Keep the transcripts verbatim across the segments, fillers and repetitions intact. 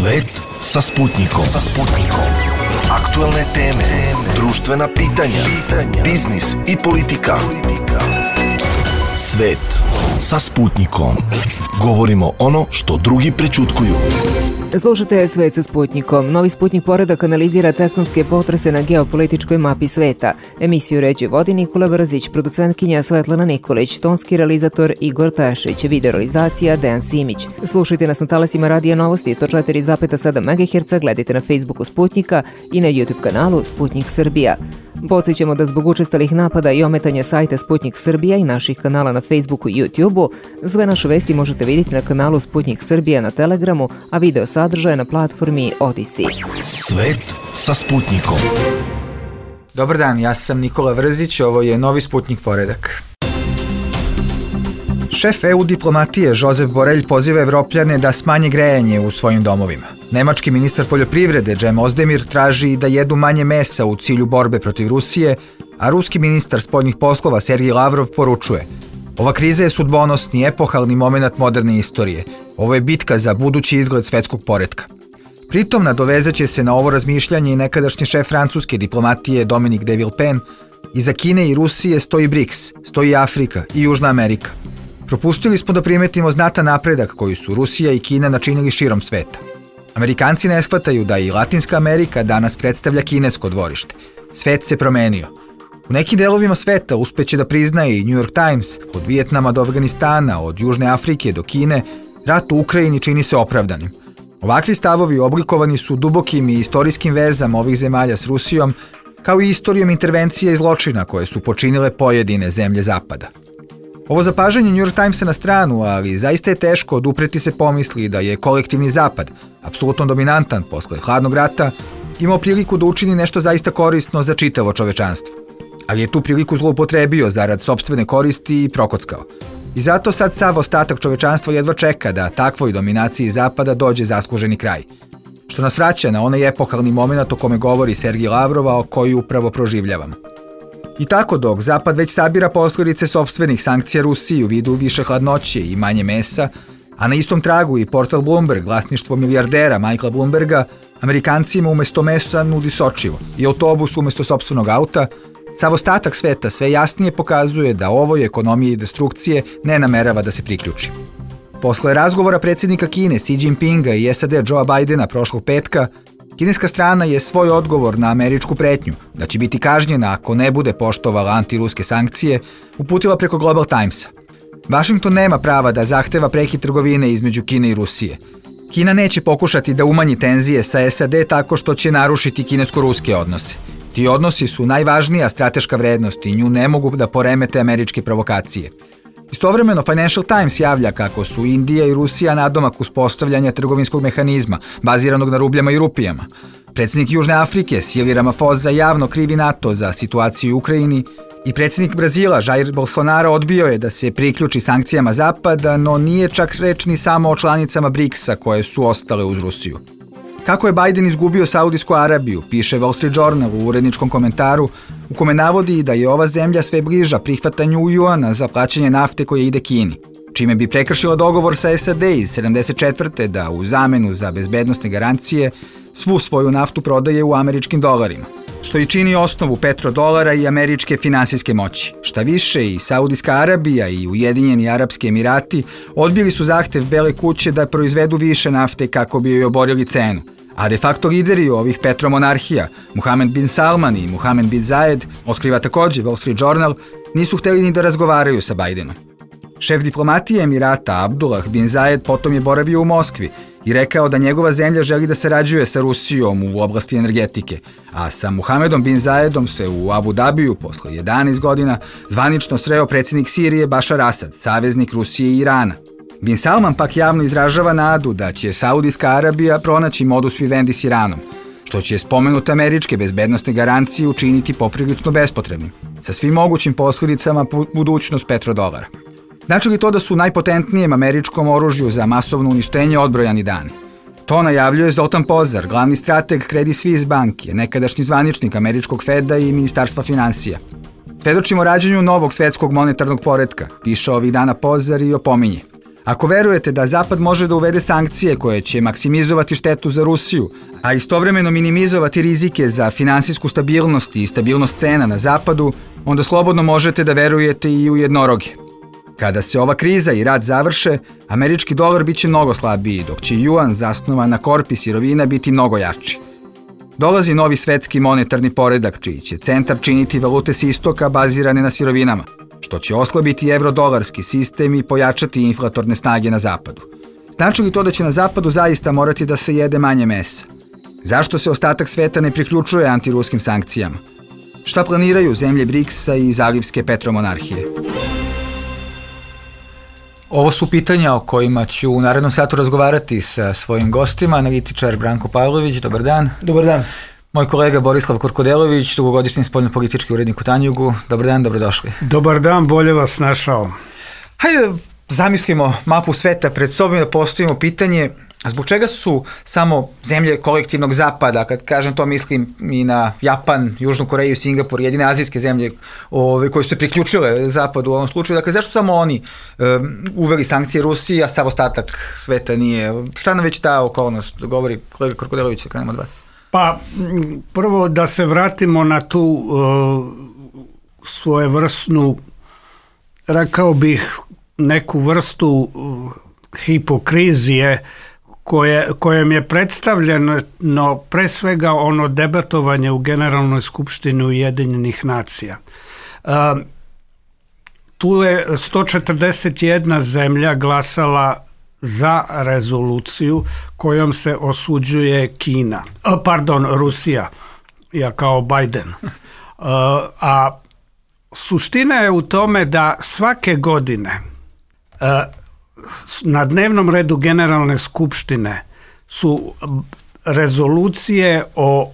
Svet sa Sputnikom. Sa Sputnikom. Aktuelne teme, društvena pitanja, pitanja, biznis i politika. Svet sa Sputnikom. Govorimo ono što drugi prećutkuju. Slušate Svet sa Sputnikom. Novi Sputnik poredak analizira tektonske potrese na geopolitičkoj mapi sveta. Emisiju ređe vodi Nikola Brzić, producentkinja Svetlana Nikolić, tonski realizator Igor Tešić, video realizacija Dejan Simić. Slušajte nas na talasima Radija Novosti sto četiri zarez sedam megaherca, gledajte na Facebooku Sputnika i na YouTube kanalu Sputnik Srbija. Podsjećamo da zbog učestalih napada i ometanja sajta Sputnik Srbija i naših kanala na Facebooku i YouTubeu, sve naše vesti možete vidjeti na kanalu Sputnik Srbija na Telegramu, a video sadržaje na platformi Odisi. Svet sa Sputnikom. Dobar dan, ja sam Nikola Brzić, ovo je Novi Sputnik poredak. Šef E U diplomatije Josep Borrell poziva Evropljane da smanje grejanje u svojim domovima. Nemački ministar poljoprivrede Cem Özdemir traži da jedu manje mesa u cilju borbe protiv Rusije, a ruski ministar spoljnih poslova Sergej Lavrov poručuje: ova kriza je sudbonosni, epohalni moment moderne istorije. Ovo je bitka za budući izgled svetskog poretka. Pritom nadovezaće se na ovo razmišljanje i nekadašnji šef francuske diplomatije Dominique de Villepin. Iza Kine i Rusije stoji BRICS, stoji Afrika i Južna Amerika. Propustili smo da primetimo znatan napredak koji su Rusija i Kina načinili širom sveta. Amerikanci ne shvataju da i Latinska Amerika danas predstavlja kinesko dvorište. Svet se promenio. U nekim delovima sveta uspeće da priznaje i New York Times, od Vijetnama do Afganistana, od Južne Afrike do Kine, rat u Ukrajini čini se opravdanim. Ovakvi stavovi oblikovani su dubokim i istorijskim vezama ovih zemalja s Rusijom, kao i istorijom intervencija i zločina koje su počinile pojedine zemlje Zapada. Ovo zapažanje New York Timesa na stranu, ali zaista je teško odupreti se pomisli da je kolektivni Zapad, apsolutno dominantan posle hladnog rata, imao priliku da učini nešto zaista korisno za čitavo čovečanstvo. Ali je tu priliku zloupotrebio zarad sopstvene koristi i prokockao. I zato sad sav ostatak čovečanstva jedva čeka da takvoj dominaciji Zapada dođe zasluženi kraj. Što nas vraća na onaj epohalni moment o kome govori Sergej Lavrov, a koji upravo proživljavamo. I tako dok Zapad već sabira posljedice sopstvenih sankcija Rusiji u vidu više hladnoće i manje mesa, a na istom tragu i portal Bloomberg, vlasništvo milijardera Michaela Bloomberga, Amerikancima umesto mesa nudi sočivo i autobus umesto sopstvenog auta, sav ostatak sveta sve jasnije pokazuje da ovoj ekonomiji destrukcije ne namerava da se priključi. Posle razgovora predsjednika Kine Xi Jinpinga i S A D Joea Bidena prošlog petka, kineska strana je svoj odgovor na američku pretnju da će biti kažnjena ako ne bude poštovala antiruske sankcije uputila preko Global Timesa. Washington nema prava da zahteva prekid trgovine između Kine i Rusije. Kina neće pokušati da umanji tenzije sa S A D tako što će narušiti kinesko-ruske odnose. Ti odnosi su najvažnija strateška vrednost i nju ne mogu da poremete američke provokacije. Istovremeno Financial Times javlja kako su Indija i Rusija nadomak uspostavljanja trgovinskog mehanizma, baziranog na rubljama i rupijama. Predsjednik Južne Afrike Cyril Ramaphosa javno krivi NATO za situaciju u Ukrajini i predsjednik Brazila Jair Bolsonaro odbio je da se priključi sankcijama Zapada, no nije čak reč ni samo o članicama briksa koje su ostale uz Rusiju. Kako je Biden izgubio Saudijsku Arabiju, piše Wall Street Journal u uredničkom komentaru, u kome navodi da je ova zemlja sve bliža prihvatanju juana za plaćanje nafte koje ide Kini, čime bi prekršila dogovor sa S A D iz sedamdeset četvrte da u zamenu za bezbednosne garancije svu svoju naftu prodaje u američkim dolarima, što i čini osnovu petrodolara i američke finansijske moći. Šta više, i Saudijska Arabija i Ujedinjeni Arapski Emirati odbili su zahtev Bele kuće da proizvedu više nafte kako bi joj oborili cenu. A de facto lideri ovih petromonarhija, Mohammed bin Salman i Mohammed bin Zayed, otkriva također Wall Street Journal, nisu hteli ni da razgovaraju sa Bidenom. Šef diplomatije Emirata Abdullah bin Zayed potom je boravio u Moskvi i rekao da njegova zemlja želi da sarađuje sa Rusijom u oblasti energetike, a sa Mohamedom bin Zayedom se u Abu Dabiju posle jedanaest godina zvanično sreo predsjednik Sirije Bašar Asad, saveznik Rusije i Irana. Bin Salman pak javno izražava nadu da će Saudijska Arabija pronaći modus vivendi s Iranom, što će spomenute američke bezbednosne garancije učiniti poprilično bespotrebnim, sa svim mogućim posljedicama po budućnost petrodolara. Znači li to da su najpotentnijem američkom oružju za masovno uništenje odbrojani dani? To najavljuje Zoltan Pozar, glavni strateg Credit Suisse banke, nekadašnji zvaničnik američkog Feda i Ministarstva finansija. Svedočimo rađenju novog svetskog monetarnog poretka, piše ovih dana Pozar i opominje. Ako verujete da Zapad može da uvede sankcije koje će maksimizovati štetu za Rusiju, a istovremeno minimizovati rizike za finansijsku stabilnost i stabilnost cena na Zapadu, onda slobodno možete da verujete i u jednoroge. Kada se ova kriza i rat završe, američki dolar biće mnogo slabiji, dok će juan zasnovan na korpi sirovina biti mnogo jači. Dolazi novi svetski monetarni poredak, čiji će centar činiti valute s istoka bazirane na sirovinama, što će oslabiti evrodolarski sistem i pojačati inflatorne snage na Zapadu. Znači li to da će na Zapadu zaista morati da se jede manje mesa? Zašto se ostatak sveta ne priključuje antiruskim sankcijama? Šta planiraju zemlje briksa i zalivske petromonarhije? Ovo su pitanja o kojima ću u narednom satu razgovarati sa svojim gostima. Analitičar Branko Pavlović, dobar dan. Dobar dan. Moj kolega Borislav Korkodelović, dugogodišnji spoljnopolitički urednik u Tanjugu. Dobar dan, dobrodošli. Dobar dan, bolje vas našao. Hajde zamislimo mapu sveta pred sobom da postavimo pitanje zbog čega su samo zemlje kolektivnog zapada, kad kažem to mislim i na Japan, Južnu Koreju, Singapur, jedine azijske zemlje ove, koje su se priključile zapadu u ovom slučaju, dakle zašto samo oni um, uveli sankcije Rusiji, a sav ostatak sveta nije? Šta nam već ta okolnost govori? Kolega Korkodelović, krenemo od vas. Pa prvo da se vratimo na tu uh, svojevrsnu, rekao bih, neku vrstu uh, hipokrizije koje, kojem je predstavljeno pre svega ono debatovanje u Generalnoj skupštini Ujedinjenih nacija. Uh, tu je sto četrdeset jedna zemlja glasala za rezoluciju kojom se osuđuje Kina, pardon, Rusija, ja kao Biden. A suština je u tome da svake godine na dnevnom redu Generalne skupštine su rezolucije o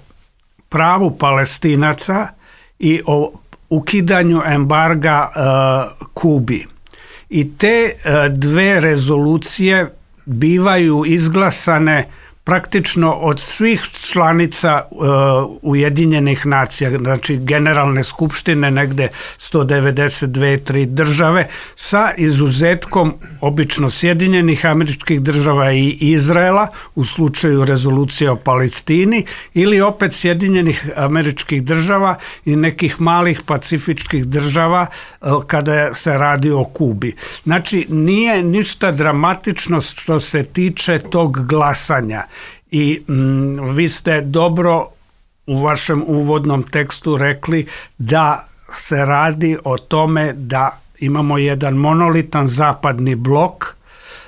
pravu Palestinaca i o ukidanju embarga Kubi. I te dve rezolucije bivaju izglasane praktično od svih članica uh, Ujedinjenih nacija, znači Generalne skupštine, negde sto devedeset dve tri države, sa izuzetkom obično Sjedinjenih Američkih Država i Izraela u slučaju rezolucije o Palestini, ili opet Sjedinjenih Američkih Država i nekih malih pacifičkih država uh, kada se radi o Kubi. Znači nije ništa dramatično što se tiče tog glasanja. I mm, vi ste dobro u vašem uvodnom tekstu rekli da se radi o tome da imamo jedan monolitan zapadni blok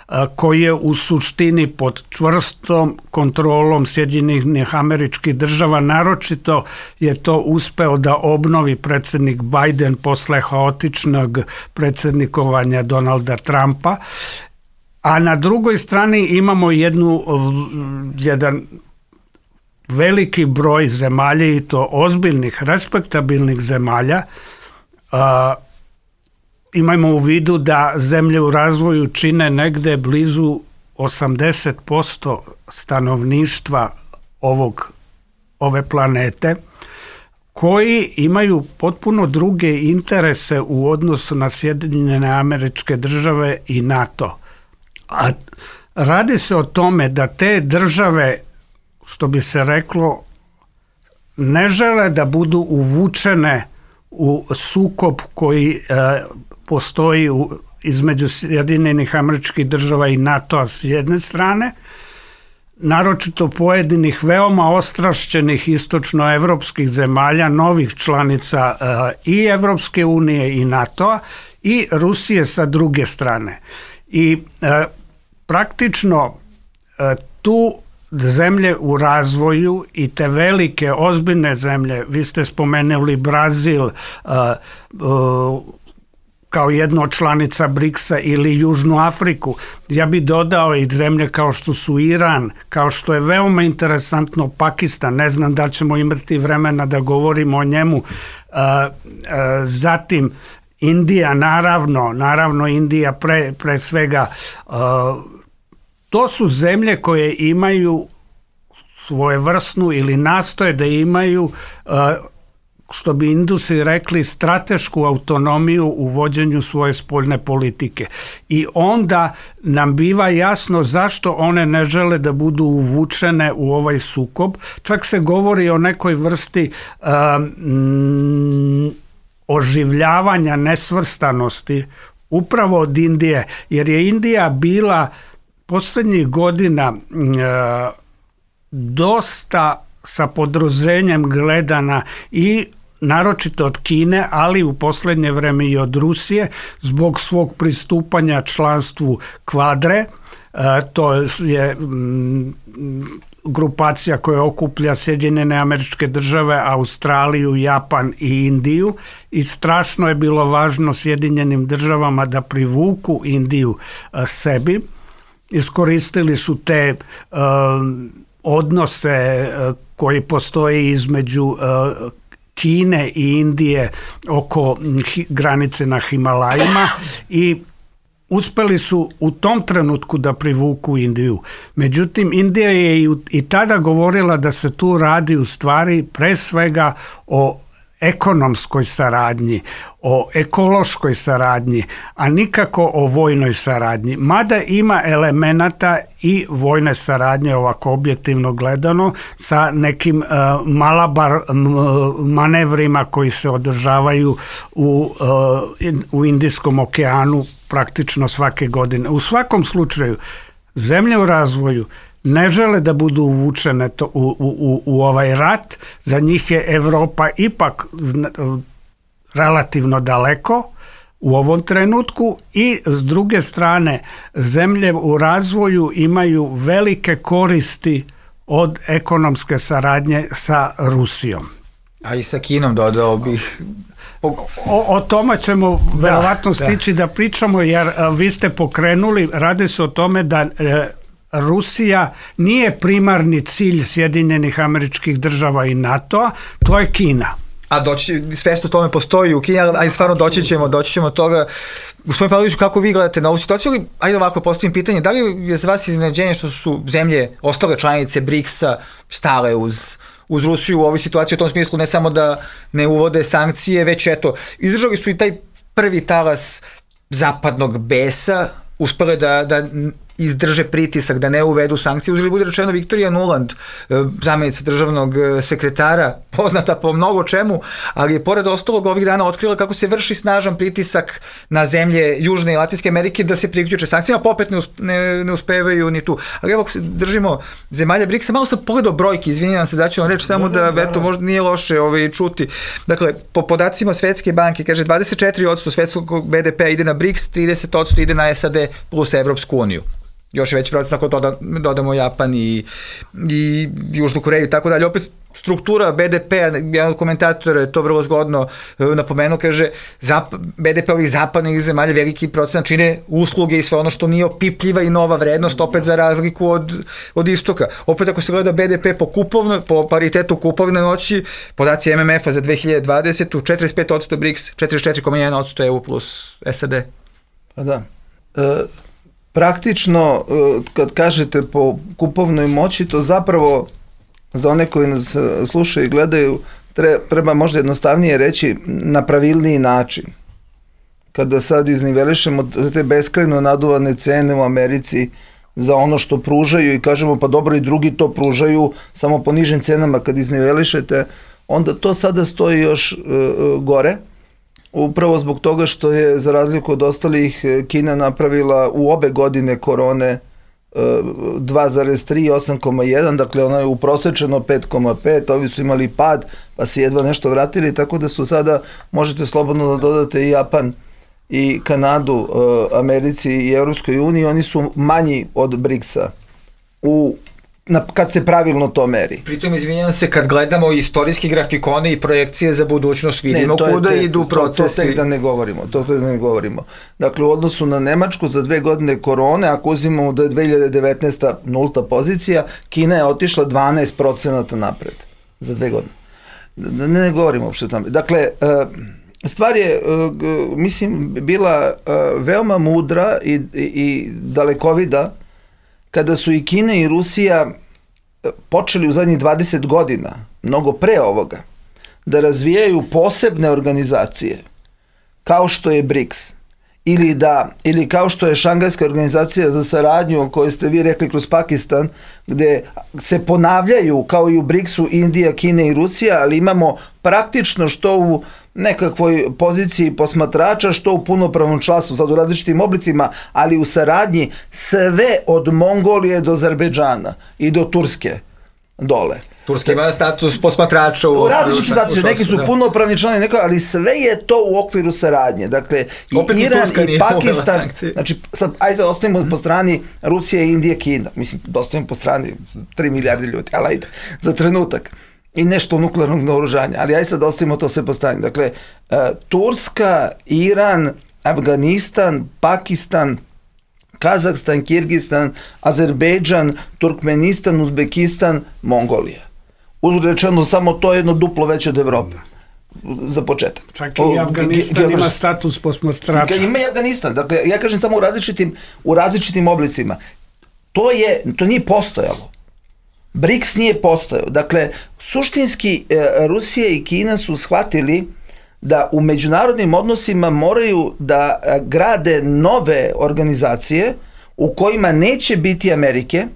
a, koji je u suštini pod čvrstom kontrolom Sjedinjenih Američkih Država. Naročito je to uspeo da obnovi predsjednik Biden posle haotičnog predsjednikovanja Donalda Trumpa. A na drugoj strani imamo jednu, jedan veliki broj zemalja, i to ozbiljnih, respektabilnih zemalja. A, imajmo u vidu da zemlje u razvoju čine negde blizu osamdeset posto stanovništva ovog, ove planete, koji imaju potpuno druge interese u odnosu na Sjedinjene Američke Države i NATO. A radi se o tome da te države, što bi se reklo, ne žele da budu uvučene u sukob koji e, postoji u, između Sjedinjenih Američkih Država i NATO-a s jedne strane, naročito pojedinih veoma ostrašćenih istočnoevropskih zemalja, novih članica e, i Evropske unije i NATO-a, i Rusije sa druge strane. I e, praktično e, tu zemlje u razvoju i te velike, ozbiljne zemlje, vi ste spomenuli Brazil e, e, kao jedno od članica briksa ili Južnu Afriku, ja bi dodao i zemlje kao što su Iran, kao što je veoma interesantno Pakistan, ne znam da ćemo imati vremena da govorimo o njemu, e, e, zatim Indija, naravno, naravno Indija pre, pre svega, uh, to su zemlje koje imaju svojevrsnu ili nastoje da imaju uh, što bi Indusi rekli, stratešku autonomiju u vođenju svoje spoljne politike. I onda nam biva jasno zašto one ne žele da budu uvučene u ovaj sukob. Čak se govori o nekoj vrsti um, oživljavanja nesvrstanosti upravo od Indije, jer je Indija bila posljednjih godina uh, dosta sa podruženjem gledana i naročito od Kine, ali u posljednje vreme i od Rusije zbog svog pristupanja članstvu Kvadre. E, to je m, grupacija koja okuplja Sjedinjene Američke Države, Australiju, Japan i Indiju, i strašno je bilo važno Sjedinjenim Državama da privuku Indiju a, sebi. Iskoristili su te a, odnose a, koji postoje između a, Kine i Indije oko hi, granice na Himalajima i uspeli su u tom trenutku da privuku Indiju. Međutim, Indija je i, i tada govorila da se tu radi u stvari pre svega o ekonomskoj saradnji, o ekološkoj saradnji, a nikako o vojnoj saradnji. Mada ima elemenata i vojne saradnje, ovako objektivno gledano, sa nekim uh, malabar m, manevrima koji se održavaju u, uh, in, u Indijskom okeanu praktično svake godine. U svakom slučaju, zemlje u razvoju ne žele da budu uvučene to, u, u, u ovaj rat. Za njih je Evropa ipak relativno daleko u ovom trenutku i s druge strane zemlje u razvoju imaju velike koristi od ekonomske saradnje sa Rusijom. A i sa Kinom dodao bih. O, o tome ćemo da, verovatno stići da. da pričamo, jer a, vi ste pokrenuli, radi se o tome da e, Rusija nije primarni cilj Sjedinjenih Američkih Država i NATO-a, to je Kina. A doći, svest o tome postoji u Kini, ali stvarno doći ćemo, doći ćemo toga. Gospodin Pavloviću, kako vi gledate na ovu situaciju? Ajde ovako, postavim pitanje, da li je za vas iznenađenje što su zemlje, ostale članice briksa, stale uz, uz Rusiju u ovoj situaciji, u tom smislu ne samo da ne uvode sankcije, već eto, izdržali su i taj prvi talas zapadnog besa, uspele da, da izdrže pritisak, da ne uvedu sankcije. Uzeli bude rečeno Viktorija Nuland, zamjenica državnog sekretara, poznata po mnogo čemu, ali je pored ostalog ovih dana otkrila kako se vrši snažan pritisak na zemlje Južne i Latinske Amerike da se priključe sankcijama, pa opet ne, uspe, ne, ne uspevaju ni tu. Ali evo, držimo zemalja briksa, malo sam pogledao brojke, izvinjavam se da ću vam reći samo da, da eto, možda nije loše ovaj, čuti. Dakle, po podacima Svetske banke, kaže dvadeset četiri posto svetskog be de pe ide na briks, trideset posto ide na es a de plus Evropsku uniju. Još je veći proces ako to dodamo Japan i, i Južnu Koreju i tako dalje. Opet struktura be de pe, jedan od komentatora je to vrlo zgodno napomenuo, kaže zap, be de pe ovih zapadnih zemalja veliki procenat čine usluge i sve ono što nije opipljiva i nova vrednost, opet za razliku od, od istoka. Opet ako se gleda be de pe po, kupovno, po paritetu kupovne moći, podaci em em ef-a za dve hiljade dvadesete. četrdeset pet posto briks, četrdeset četiri zarez jedan posto E U plus es a de. Pa da. E, praktično, kad kažete po kupovnoj moći, to zapravo za one koji nas slušaju i gledaju treba možda jednostavnije reći na pravilniji način. Kada sad iznivelišemo te beskrajno naduvane cene u Americi za ono što pružaju i kažemo pa dobro i drugi to pružaju samo po nižim cenama, kad iznivelišete, onda to sada stoji još uh, gore. Upravo zbog toga što je, za razliku od ostalih, Kina napravila u obe godine korone dva zarez tri i osam zarez jedan, dakle ona je uprosečeno pet zarez pet, ovi su imali pad, pa se jedva nešto vratili, tako da su sada, možete slobodno da dodate i Japan i Kanadu, Americi i Evropskoj uniji, oni su manji od briksa u Na, kad se pravilno to meri. Pritom, izvinjam se, kad gledamo istorijski grafikone i projekcije za budućnost, vidimo ne, kuda te, idu procesi. To, to tek da ne govorimo, to tek da ne govorimo. Dakle, u odnosu na Nemačku za dve godine korone, ako uzimamo da je dve hiljade devetnaesta nulta pozicija, Kina je otišla dvanaest procenata napred za dve godine. Da ne, ne govorimo uopšte o tome. Dakle, stvar je, mislim, bila veoma mudra i, i, i dalekovida kada su i Kina i Rusija počeli u zadnjih dvadeset godina, mnogo pre ovoga, da razvijaju posebne organizacije, kao što je briks, ili, da, ili kao što je Šangajska organizacija za saradnju o kojoj ste vi rekli kroz Pakistan, gde se ponavljaju kao i u briksu Indija, Kina i Rusija, ali imamo praktično što u nekakvoj poziciji posmatrača, što u punopravnom članstvu, sad u različitim oblicima, ali u saradnji sve od Mongolije do Azerbejdžana i do Turske dole. Turska ima status posmatrača u, u različiti status, neki su da. punopravni članovi, neko, ali sve je to u okviru saradnje. Dakle, i opet Iran i, i Pakistan, znači, sad, ajde ostavimo po strani Rusija, Indija, Kina, mislim, ostavimo po strani tri milijarde ljudi, ali ajde, za trenutak. I nešto nuklearnog naoružanja, ali ajde sad ostavimo to sve po strani. Dakle, uh, Turska, Iran, Afganistan, Pakistan, Kazahstan, Kirgistan, Azerbejdžan, Turkmenistan, Uzbekistan, Mongolija. Uzrečeno, samo to je jedno duplo veće od Evrope. Za početak. Čak i Afganistan o, ima status posmatrača. Ima i Afganistan. Dakle, ja kažem samo u različitim, u različitim oblicima. To je, to nije postojalo. briks nije postojao. Dakle, suštinski Rusija i Kina su shvatili da u međunarodnim odnosima moraju da grade nove organizacije u kojima neće biti Amerike,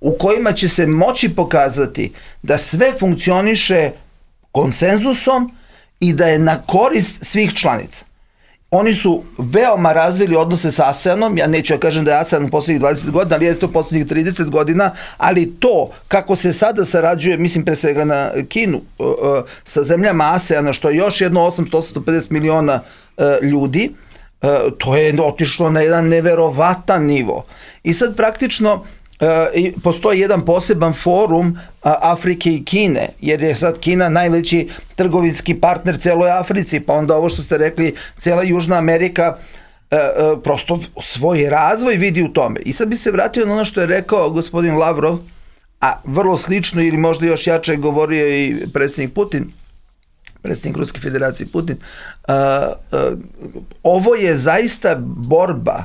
u kojima će se moći pokazati da sve funkcioniše konsenzusom i da je na korist svih članica. Oni su veoma razvili odnose sa ASEANom, ja neću ja kažem da je ASEAN u poslednjih dvadeset godina, ali je to poslednjih trideset godina, ali to kako se sada sarađuje, mislim pre svega na Kinu, uh, uh, sa zemljama ASEANa, što je još jedno osamsto do osamsto pedeset miliona uh, ljudi, uh, to je otišlo na jedan neverovatan nivo. I sad praktično Uh, postoji jedan poseban forum uh, Afrike i Kine, jer je sad Kina najveći trgovinski partner celoj Africi, pa onda ovo što ste rekli, cela Južna Amerika uh, uh, prosto svoj razvoj vidi u tome. I sad bi se vratio na ono što je rekao gospodin Lavrov, a vrlo slično ili možda još jače govorio i predsjednik Putin, predsjednik Ruske federacije Putin. Uh, uh, ovo je zaista borba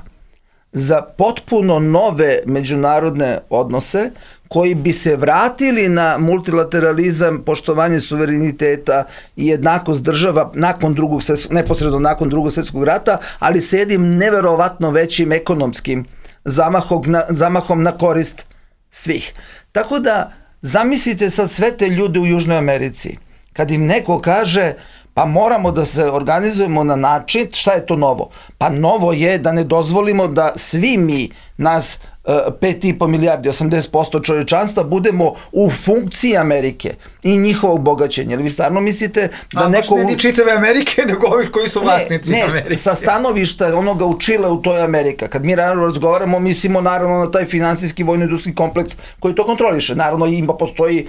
za potpuno nove međunarodne odnose koji bi se vratili na multilateralizam, poštovanje suvereniteta i jednakost država nakon drugog svjetskog, neposredno nakon drugog svjetskog rata, ali sa jednim neverovatno većim ekonomskim zamahom na, zamahom na korist svih. Tako da zamislite sad sve te ljude u Južnoj Americi. Kad im neko kaže pa moramo da se organizujemo na način, šta je to novo? Pa novo je da ne dozvolimo da svi mi, nas pet i po milijardi, osamdeset posto čovječanstva, budemo u funkciji Amerike i njihovog bogaćenja. Jer vi stvarno mislite da A, neko... A baš ne ni čitave Amerike, nego ovih koji su vlasnici ne, Amerike. Ne, sa stanovišta onoga u Čileu, to je Amerika. Kad mi naravno razgovaramo, mislimo naravno na taj finansijski vojno-industrijski kompleks koji to kontroliše. Naravno ima postoji,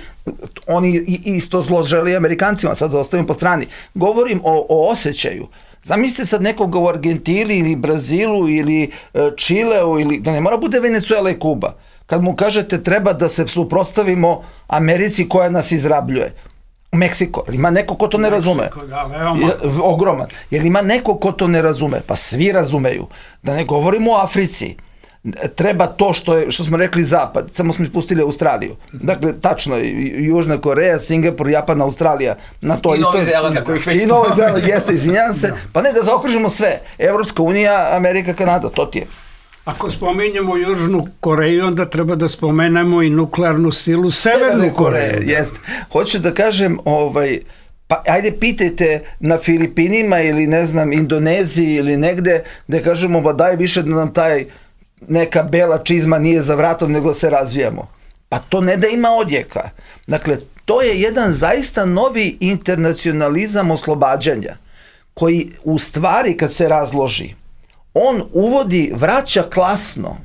oni isto zlo žele Amerikancima, sad ostavim po strani. Govorim o, o osjećaju. Zamislite sad nekoga u Argentini ili Brazilu ili Čileu, ili, da ne mora bude Venezuela i Kuba. Kad mu kažete treba da se suprotstavimo Americi koja nas izrabljuje. Meksiko, ili ima neko ko to ne razume? Meksiko, da, veoma. Ogroman. Jer ima neko ko to ne razume? Pa svi razumeju. Da ne govorimo o Africi. Treba to što je, što smo rekli zapad, samo smo ispustili Australiju. Dakle, tačno, Južna Koreja, Singapur, Japan, Australija. Na to I isto, Novi Zeland, na kojih već I Novi Zeland, jeste, izvinjam se. Pa ne, da zaokružimo sve. Evropska unija, Amerika, Kanada, to ti je. Ako spominjemo Južnu Koreju, onda treba da spomenemo i nuklearnu silu Severnu Koreju. Jeste. Hoću da kažem, ovaj, pa ajde pitajte na Filipinima ili ne znam, Indoneziji ili negde, da kažemo, ba daj više da nam taj neka bela čizma nije za vratom, nego se razvijamo. Pa to ne da ima odjeka. Dakle, to je jedan zaista novi internacionalizam oslobađanja, koji u stvari kad se razloži, on uvodi, vraća klasno.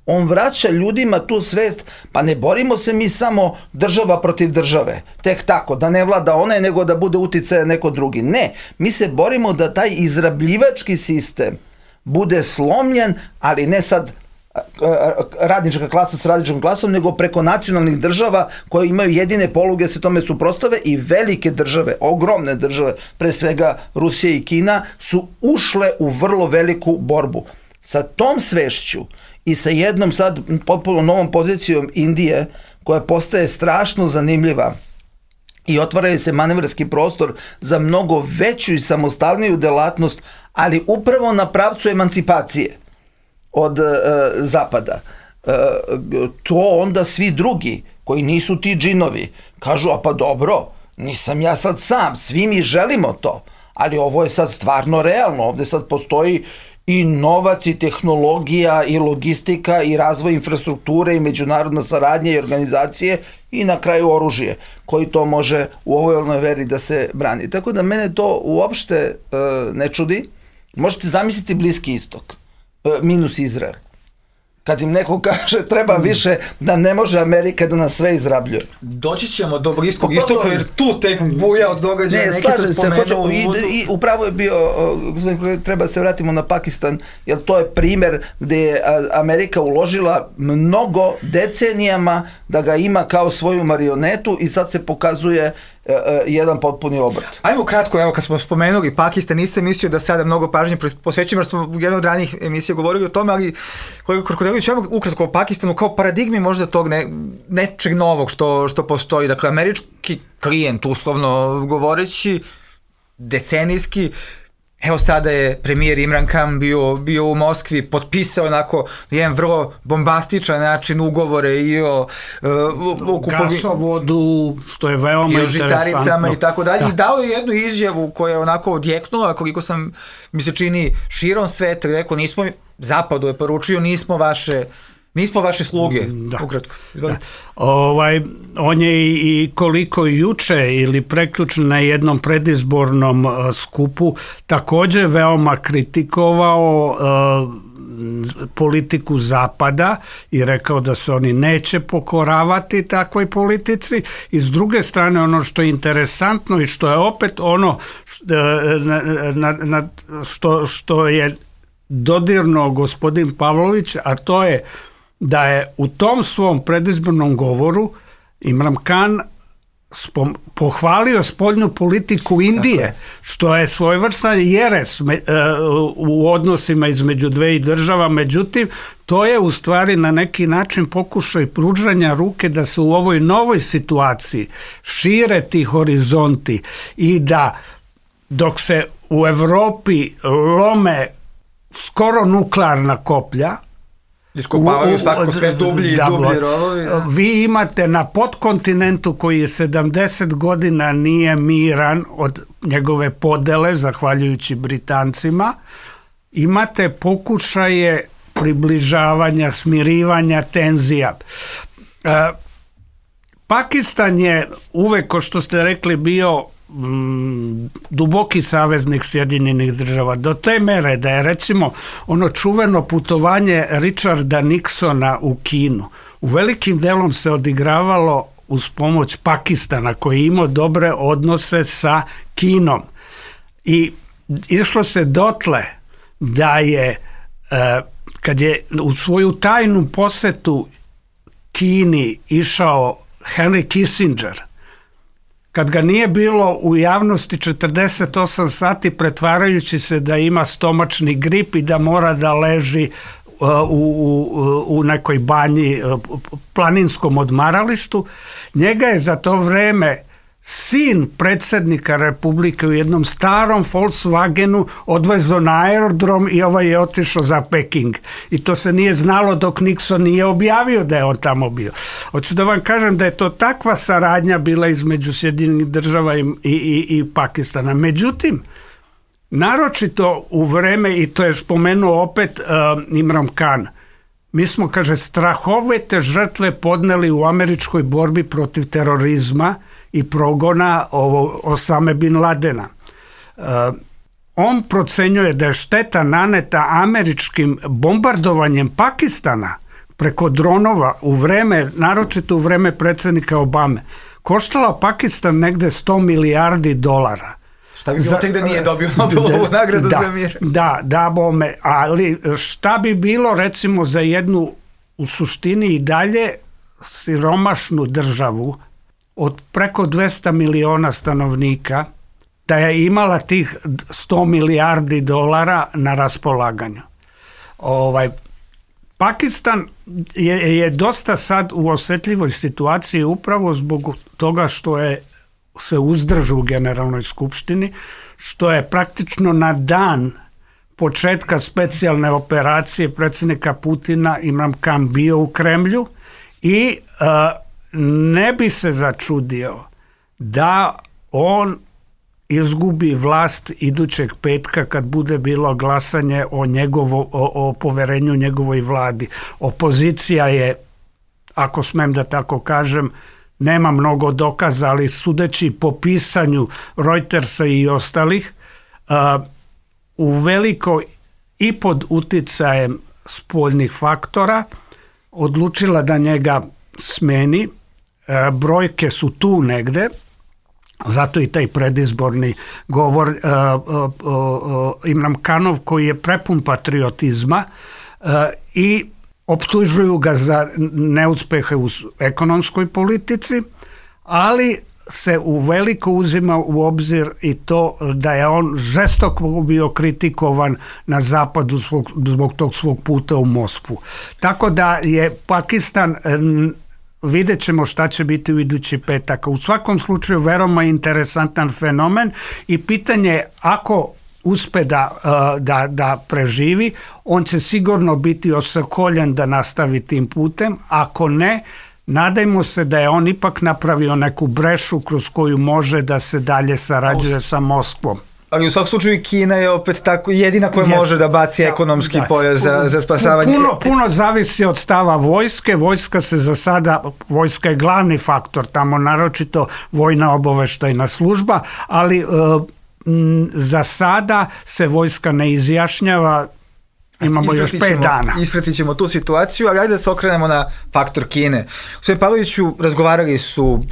On vraća ljudima tu svest, pa ne borimo se mi samo država protiv države, tek tako, da ne vlada onaj, nego da bude uticaja neko drugi. Ne, mi se borimo da taj izrabljivački sistem bude slomljen, ali ne sad radnička klasa s radničkom klasom, nego preko nacionalnih država koje imaju jedine poluge se tome suprotstave, i velike države, ogromne države, pre svega Rusija i Kina, su ušle u vrlo veliku borbu. Sa tom svešću i sa jednom sad potpuno novom pozicijom Indije, koja postaje strašno zanimljiva i otvaraju se manevarski prostor za mnogo veću i samostalniju delatnost, ali upravo na pravcu emancipacije od e, zapada. E, to onda svi drugi koji nisu ti džinovi kažu, a pa dobro, nisam ja sad sam, svi mi želimo to, ali ovo je sad stvarno realno, ovde sad postoji i novac i tehnologija i logistika i razvoj infrastrukture i međunarodna saradnja i organizacije i na kraju oružje koji to može u ovoj veri da se brani. Tako da mene to uopšte e, ne čudi. Možete zamisliti Bliski istok, e, minus Izrael. Kad im neko kaže treba više, da ne može Amerika da nas sve izrabljuje. Doći ćemo do Bliskog istoka, jer tu tek buja od događaja. Ne, neki se spomenuo i, i upravo je bio, treba se vratimo na Pakistan, jer to je primer gde je Amerika uložila mnogo decenijama da ga ima kao svoju marionetu i sad se pokazuje uh, jedan potpuni obrat. Ajmo kratko, evo kad smo spomenuli Pakistan, nisam mislio da sada mnogo pažnje posvećujemo, jer smo u jednoj od ranijih emisija govorili o tome, ali koliko Krkodelović, evo ukratko o Pakistanu kao paradigmi možda tog ne, nečeg novog što, što postoji. Dakle, američki klijent, uslovno govoreći, decenijski, evo sada je premijer Imran Khan bio, bio u Moskvi, potpisao onako jedan vrlo bombastičan način ugovore i o uh, gasovodu, što je veoma i o interesantno. žitaricama i tako dalje. I dao je jednu izjavu koja je onako odjeknula, koliko sam, mi se čini, širom sveta, rekao, nismo, zapadu je poručio, nismo vaše nismo vaše sluge. Da. Ukratko. Da. Ovaj, on je i koliko juče ili prekjuče na jednom predizbornom uh, skupu također veoma kritikovao uh, politiku Zapada i rekao da se oni neće pokoravati takvoj politici. I s druge strane, ono što je interesantno i što je opet ono na, na, na, što, što je dodirnuo gospodin Pavlović, a to je da je u tom svom predizbornom govoru Imran Khan spom, pohvalio spoljnu politiku Indije, što je svojevrstan jeres me, uh, u odnosima između dve država, međutim to je u stvari na neki način pokušaj pružanja ruke da se u ovoj novoj situaciji šire ti horizonti i da dok se u Evropi lome skoro nuklearna koplja, iskopavaju svako sve dublji i dublji rovovi. Da. Vi imate na podkontinentu koji je sedamdeset godina nije miran od njegove podele, zahvaljujući Britancima, imate pokušaje približavanja, smirivanja tenzija. E, Pakistan je uvek, ko što ste rekli, bio Mm, duboki saveznik Sjedinjenih država, do te mere da je recimo ono čuveno putovanje Richarda Nixona u Kinu u velikim delom se odigravalo uz pomoć Pakistana koji je imao dobre odnose sa Kinom i išlo se dotle da je eh, kad je u svoju tajnu posetu Kini išao Henry Kissinger, kad ga nije bilo u javnosti četrdeset osam sati, pretvarajući se da ima stomačni grip i da mora da leži uh, u, u, u nekoj banji, uh, planinskom odmaralištu, njega je za to vreme sin predsjednika Republike u jednom starom Volkswagenu odvezo na aerodrom i ovaj je otišao za Peking. I to se nije znalo dok Nixon nije objavio da je on tamo bio. Hoću da vam kažem da je to takva saradnja bila između Sjedinjenih država i, i, i Pakistana. Međutim, naročito u vreme, i to je spomenuo opet uh, Imran Khan, mi smo, kaže, strahovite žrtve podneli u američkoj borbi protiv terorizma i progona ovo Osame bin Ladena. Uh, on procenjuje da je šteta naneta američkim bombardovanjem Pakistana preko dronova u vreme, naročito u vreme predsjednika Obame, koštala Pakistan negde sto milijardi dolara. Šta bi bilo tek da nije dobio Nobelovu nagradu da, za mir? Da, da bome, ali šta bi bilo recimo za jednu u suštini i dalje siromašnu državu od preko dvesta miliona stanovnika, da je imala tih sto milijardi dolara na raspolaganju. Ovaj, Pakistan je, je dosta sad u osjetljivoj situaciji upravo zbog toga što je se uzdržu u Generalnoj skupštini, što je praktično na dan početka specijalne operacije predsjednika Putina Imran Khan bio u Kremlju i uh, ne bi se začudio da on izgubi vlast idućeg petka kad bude bilo glasanje o, njegovo, o, o poverenju njegovoj vladi. Opozicija je, ako smem da tako kažem, nema mnogo dokaza, ali sudeći po pisanju Reutersa i ostalih, uh, u veliko i pod uticajem spoljnih faktora odlučila da njega smeni. Uh, brojke su tu negde, zato i taj predizborni govor uh, uh, uh, Imran Khanov koji je prepun patriotizma uh, i optužuju ga za neuspehe u ekonomskoj politici, ali se u veliko uzima u obzir i to da je on žestoko bio kritikovan na zapadu zbog, zbog tog svog puta u Moskvu. Tako da je Pakistan, vidjet ćemo šta će biti u idući petak. U svakom slučaju veoma interesantan fenomen i pitanje je ako uspe da, da, da preživi, on će sigurno biti osakoljen da nastavi tim putem. Ako ne, nadajmo se da je on ipak napravio neku brešu kroz koju može da se dalje sarađuje sa Moskvom. Ali u svakom slučaju Kina je opet tako jedina koja yes. može da baci ekonomski da, pojas za, za spasavanje. Puno, puno zavisi od stava vojske. Vojska se za sada, vojska je glavni faktor, tamo naročito vojna obaveštajna služba, ali uh, m, za sada se vojska ne izjašnjava. Imamo još pet dana. Ispratit ćemo tu situaciju, ali ajde da se okrenemo na faktor Kine. Gospodin Pavloviću, razgovarali su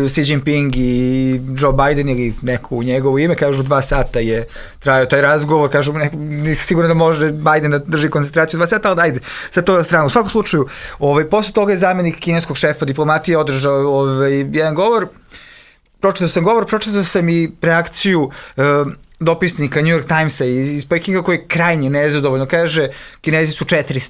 Xi Jinping i Joe Biden ili neko u njegovo ime, kažu dva sata je trajao taj razgovor, kažu nisi sigurno da može Biden da drži koncentraciju dva sata, ali ajde, sad to na stranu. U svakom slučaju, ovaj, posle toga je zamjenik kineskog šefa diplomatije održao ovaj, jedan govor, pročitao sam govor, pročitao sam i reakciju uh, dopisnika New York Timesa iz, iz Pekinga koji je krajnje nezadovoljno. Kaže, Kinezi su četiri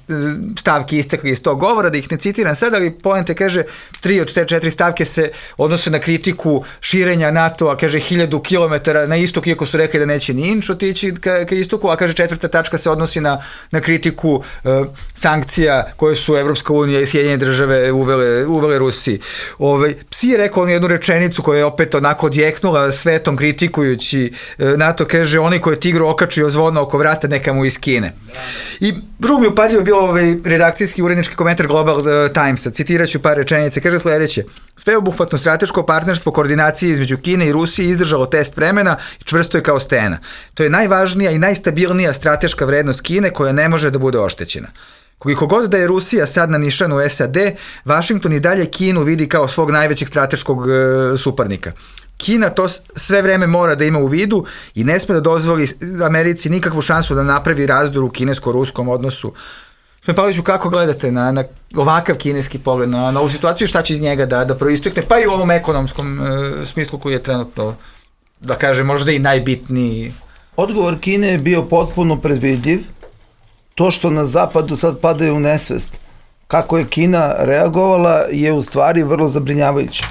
stavke istekli iz tog govora, da ih ne citiram sad, ali poenta kaže, tri od te četiri stavke se odnose na kritiku širenja NATO-a, kaže, hiljadu kilometara na istok, iako su rekli da neće ni inč otići ka, ka istoku, a kaže, četvrta tačka se odnosi na, na kritiku uh, sankcija koje su Evropska unija i Sjedinjene države uvele, uvele Rusiji. Ovaj, Psi je rekao jednu rečenicu koja je opet onako odjeknula svetom kritikujući uh, NATO, kaže, onaj koji je tigru okačio zvona oko vrata, neka mu iz Kine. I drugo mi upadljivo bio ovaj redakcijski urednički komentar Global Timesa, citiraću par rečenice, kaže sledeće: sveobuhvatno strateško partnerstvo koordinacije između Kine i Rusije izdržalo test vremena i čvrsto je kao stena. To je najvažnija i najstabilnija strateška vrednost Kine koja ne može da bude oštećena. Koliko god da je Rusija sad na nišanu S A D, Vašington i dalje Kinu vidi kao svog najvećeg strateškog e, suparnika. Kina to sve vreme mora da ima u vidu i ne sme da dozvoli Americi nikakvu šansu da napravi razdor u kinesko-ruskom odnosu. Gospodin Pavloviću, kako gledate na, na ovakav kineski pogled, na, na ovu situaciju, šta će iz njega da, da proistekne, pa i u ovom ekonomskom e, smislu koji je trenutno, da kaže, možda i najbitniji? Odgovor Kine je bio potpuno predvidiv. To što na zapadu sad padaju u nesvest, kako je Kina reagovala, je u stvari vrlo zabrinjavajuće.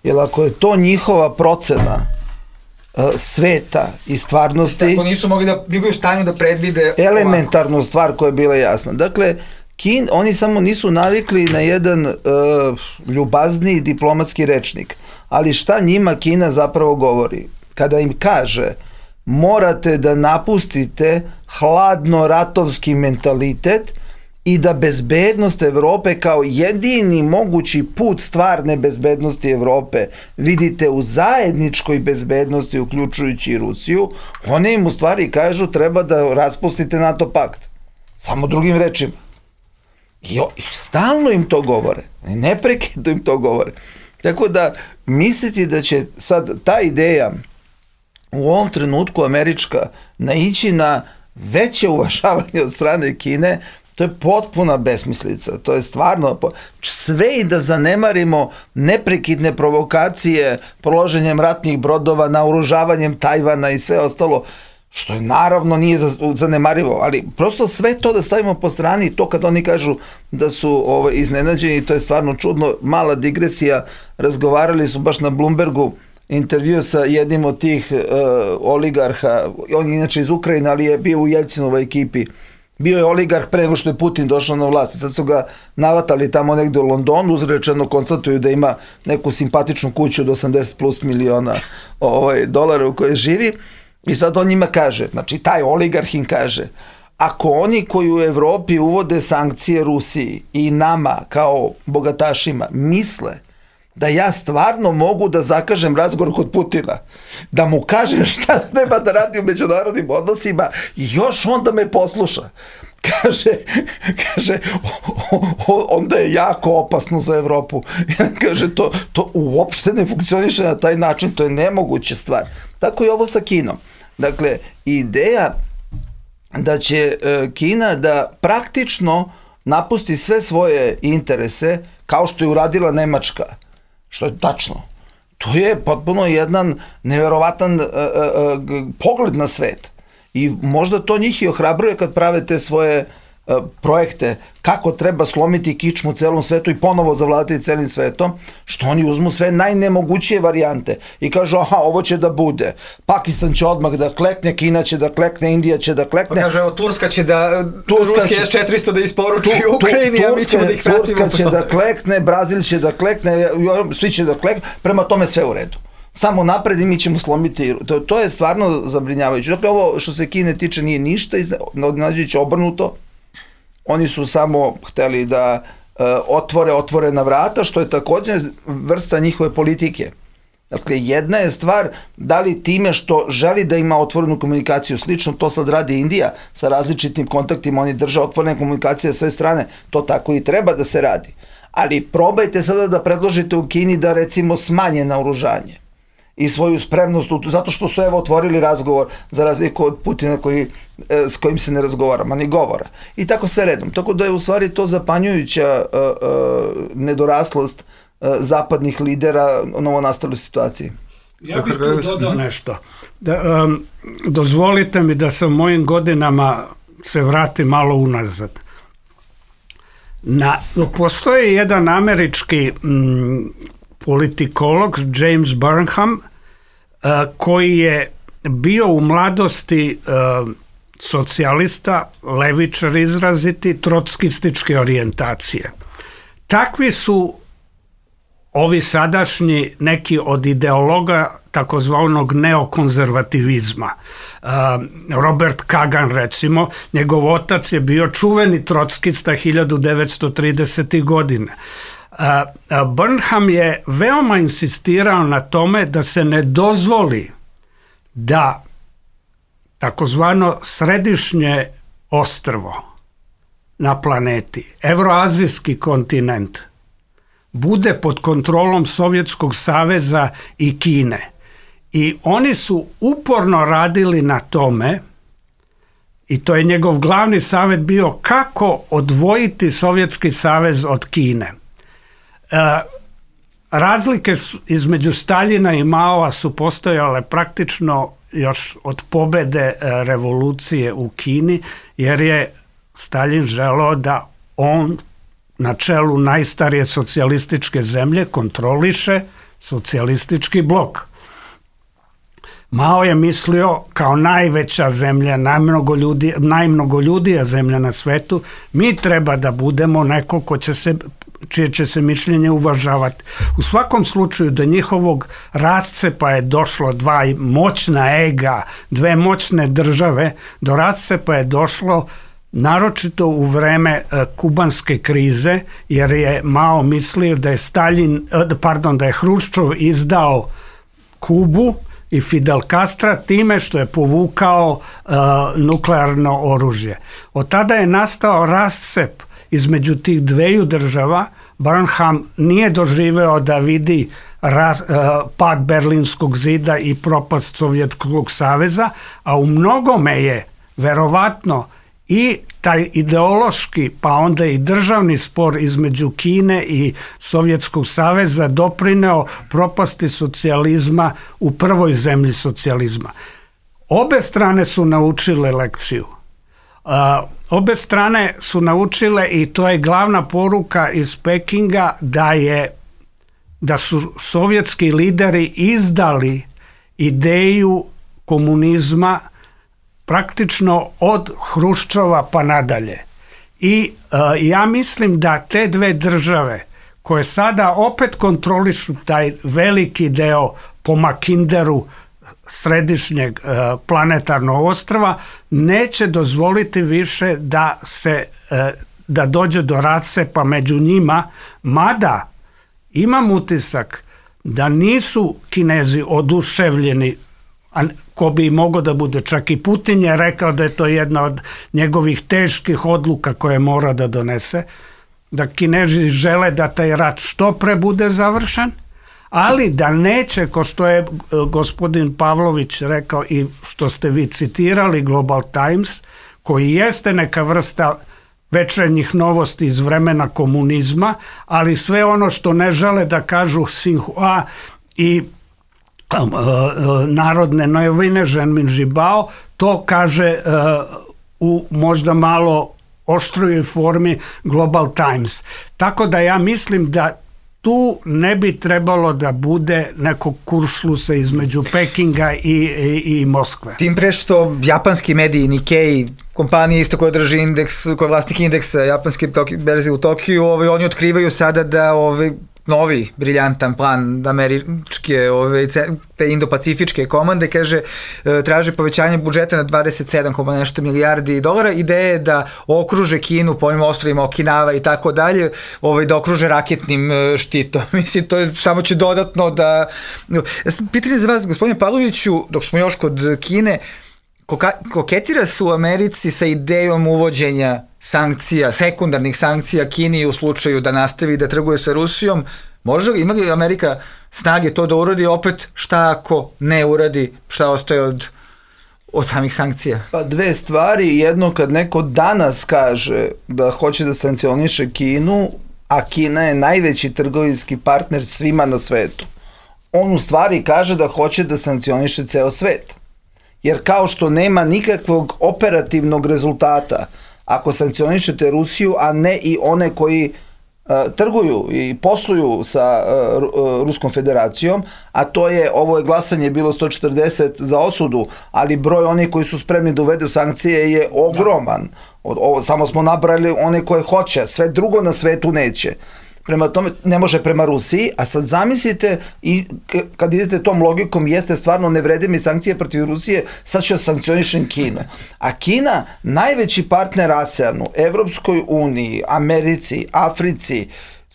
Jer ako je to njihova procena uh, sveta i stvarnosti... Tako nisu mogli da bili u stanju da predvide... Elementarnu ovako stvar koja je bila jasna. Dakle, Kin, oni samo nisu navikli na jedan uh, ljubazniji diplomatski rečnik. Ali šta njima Kina zapravo govori? Kada im kaže, morate da napustite hladno-ratovski mentalitet i da bezbednost Evrope kao jedini mogući put stvarne bezbednosti Evrope vidite u zajedničkoj bezbednosti, uključujući i Rusiju, one im u stvari kažu treba da raspustite NATO pakt. Samo drugim rečima. I, o, i stalno im to govore. Neprekidno im to govore. Tako da misliti da će sad ta ideja u ovom trenutku američka naići na veće uvažavanje od strane Kine, to je potpuna besmislica. To je stvarno sve i da zanemarimo neprekidne provokacije proloženjem ratnih brodova, naoružavanjem Tajvana i sve ostalo, što je naravno nije zanemarivo, ali prosto sve to da stavimo po strani i to kad oni kažu da su ovaj, iznenađeni, to je stvarno čudno. Mala digresija, razgovarali su baš na Bloombergu intervju sa jednim od tih uh, oligarha, on je inače iz Ukrajine, ali je bio u Jelcinovoj ekipi. Bio je oligarh pre nego što je Putin došao na vlast. Sad su ga navatali tamo negde u Londonu, uzrečeno konstatuju da ima neku simpatičnu kuću od osamdeset plus miliona ovaj, dolara u kojoj živi. I sad on njima kaže, znači taj oligarh im kaže, ako oni koji u Evropi uvode sankcije Rusiji i nama kao bogatašima misle da ja stvarno mogu da zakažem razgovor kod Putina, da mu kažem šta treba da radi u međunarodnim odnosima, još onda me posluša. Kaže, kaže o, o, onda je jako opasno za Evropu. Kaže, to, to uopšte ne funkcioniše na taj način, to je nemoguća stvar. Tako je ovo sa Kinom. Dakle, ideja da će e, Kina da praktično napusti sve svoje interese, kao što je uradila Nemačka, što je tačno. To je potpuno jedan neverovatan uh, uh, pogled na svet. I možda to njih i ohrabruje kad prave te svoje uh, projekte, kako treba slomiti kičmu u celom svetu i ponovo zavladati celim svetom, što oni uzmu sve najnemogućije varijante i kažu, aha, ovo će da bude. Pakistan će odmah da klekne, Kina će da klekne, Indija će da klekne. Pa kaže, evo, Turska će da, Turska ruski će, S četiristo da isporuči tu, Ukrajini, tu, a mi ćemo da ih pratimo. Turska će da klekne, Brazil će da klekne, svi će da klekne, prema tome sve u redu. Samo napred i mi ćemo slomiti. To, to je stvarno zabrinjavajuće. Dakle, ovo što se Kine tiče nije ništa, iznenađujuće obrnuto. Oni su samo hteli da uh, otvore otvorena vrata, što je također vrsta njihove politike. Dakle, jedna je stvar da li time što želi da ima otvorenu komunikaciju, slično to sad radi Indija sa različitim kontaktima, oni drže otvorene komunikacije sa sve strane, to tako i treba da se radi. Ali probajte sada da predložite u Kini da recimo smanje naoružanje i svoju spremnost, zato što su evo otvorili razgovor za razliku od Putina koji, s kojim se ne razgovara, ma ni govora. I tako sve redom. Tako da je u stvari to zapanjujuća uh, uh, nedoraslost uh, zapadnih lidera u novonastaloj situaciji. Ja bih tu dodao nešto. Da, um, dozvolite mi da sa mojim godinama se vrati malo unazad. Na, postoji jedan američki mm, politikolog James Burnham uh, koji je bio u mladosti uh, socijalista, levičar izraziti, trotskističke orijentacije. Takvi su ovi sadašnji neki od ideologa takozvanog neokonzervativizma. Uh, Robert Kagan, recimo, njegov otac je bio čuveni trotskista hiljadu devetsto tridesetih godine. Uh, Burnham je veoma insistirao na tome da se ne dozvoli da takozvano središnje ostrvo na planeti, evroazijski kontinent, bude pod kontrolom Sovjetskog saveza i Kine. I oni su uporno radili na tome, i to je njegov glavni savjet bio, kako odvojiti Sovjetski savez od Kine. E, razlike su, između Staljina i Maova su postojale praktično još od pobede e, revolucije u Kini, jer je Staljin želeo da on na čelu najstarije socijalističke zemlje kontroliše socijalistički blok. Mao je mislio kao najveća zemlja, najmnogo ljudi, najmnogo ljudija zemlja na svetu, mi treba da budemo neko ko će se, čije će se mišljenje uvažavati. U svakom slučaju do njihovog rascepa je došlo dva moćna ega, dve moćne države, do rascepa je došlo naročito u vreme uh, kubanske krize, jer je Mao mislio da je Staljin, uh, pardon, da je Hruščov izdao Kubu i Fidel Castro time što je povukao uh, nuklearno oružje. Od tada je nastao rascep između tih dveju država. Burnham nije doživeo da vidi ras, uh, pad Berlinskog zida i propast Sovjetskog saveza, a u mnogome je verovatno i taj ideološki, pa onda i državni spor između Kine i Sovjetskog saveza doprineo propasti socijalizma u prvoj zemlji socijalizma. Obe strane su naučile lekciju. Uh, obe strane su naučile, i to je glavna poruka iz Pekinga, da je da su sovjetski lideri izdali ideju komunizma praktično od Hruščova pa nadalje. I uh, ja mislim da te dve države koje sada opet kontrolišu taj veliki deo po Makinderu središnjeg uh, planetarnog ostrva, neće dozvoliti više da se uh, da dođe do rascepa među njima, mada imam utisak da nisu Kinezi oduševljeni, a ko bi mogao da bude, čak i Putin je rekao da je to jedna od njegovih teških odluka koje mora da donese, da Kinezi žele da taj rat što pre bude završen, ali da neće, ko što je gospodin Pavlović rekao i što ste vi citirali, Global Times, koji jeste neka vrsta večernjih novosti iz vremena komunizma, ali sve ono što ne žele da kažu Sinhua i um, uh, narodne novine Ženmin Žibao, to kaže uh, u možda malo oštrujoj formi Global Times. Tako da ja mislim da tu ne bi trebalo da bude nekog kuršlusa između Pekinga i, i, i Moskve. Tim pre što japanski mediji, Nikkei, kompanije isto koja drži indeks, koja je vlasnik indeksa japanske berze u Tokiju, ovaj, oni otkrivaju sada da ovaj, novi briljantan plan američke ove, te indo-pacifičke komande, kaže, traže povećanje budžeta na dvadeset sedam zarez nešto milijardi dolara. Ideja je da okruže Kinu po ovim ostrovima Okinawa i tako dalje, ovaj, da okruže raketnim štitom. Mislim, to je, samo će dodatno da... Pitanje za vas, gospodine Pavloviću, dok smo još kod Kine, koketira se u Americi sa idejom uvođenja sankcija, sekundarnih sankcija Kini u slučaju da nastavi da trguje sa Rusijom. Može li, ima li Amerika snage to da uradi, opet šta ako ne uradi, šta ostaje od, od samih sankcija? Pa dve stvari, jedno kad neko danas kaže da hoće da sankcioniše Kinu, a Kina je najveći trgovinski partner svima na svetu, on u stvari kaže da hoće da sankcioniše ceo svet. Jer kao što nema nikakvog operativnog rezultata ako sankcionišete Rusiju, a ne i one koji uh, trguju i posluju sa uh, uh, Ruskom federacijom, a to je, ovo je glasanje bilo sto četrdeset za osudu, ali broj onih koji su spremni da uvedu sankcije je ogroman. Od, ovo, samo smo nabrali one koje hoće, sve drugo na svetu neće. Prema tome, ne može prema Rusiji, a sad zamislite, i kad idete tom logikom, jeste stvarno ne vrede mi sankcije protiv Rusije, sad ću sankcionišem Kinu. A Kina, najveći partner ASEANu, Evropskoj uniji, Americi, Africi,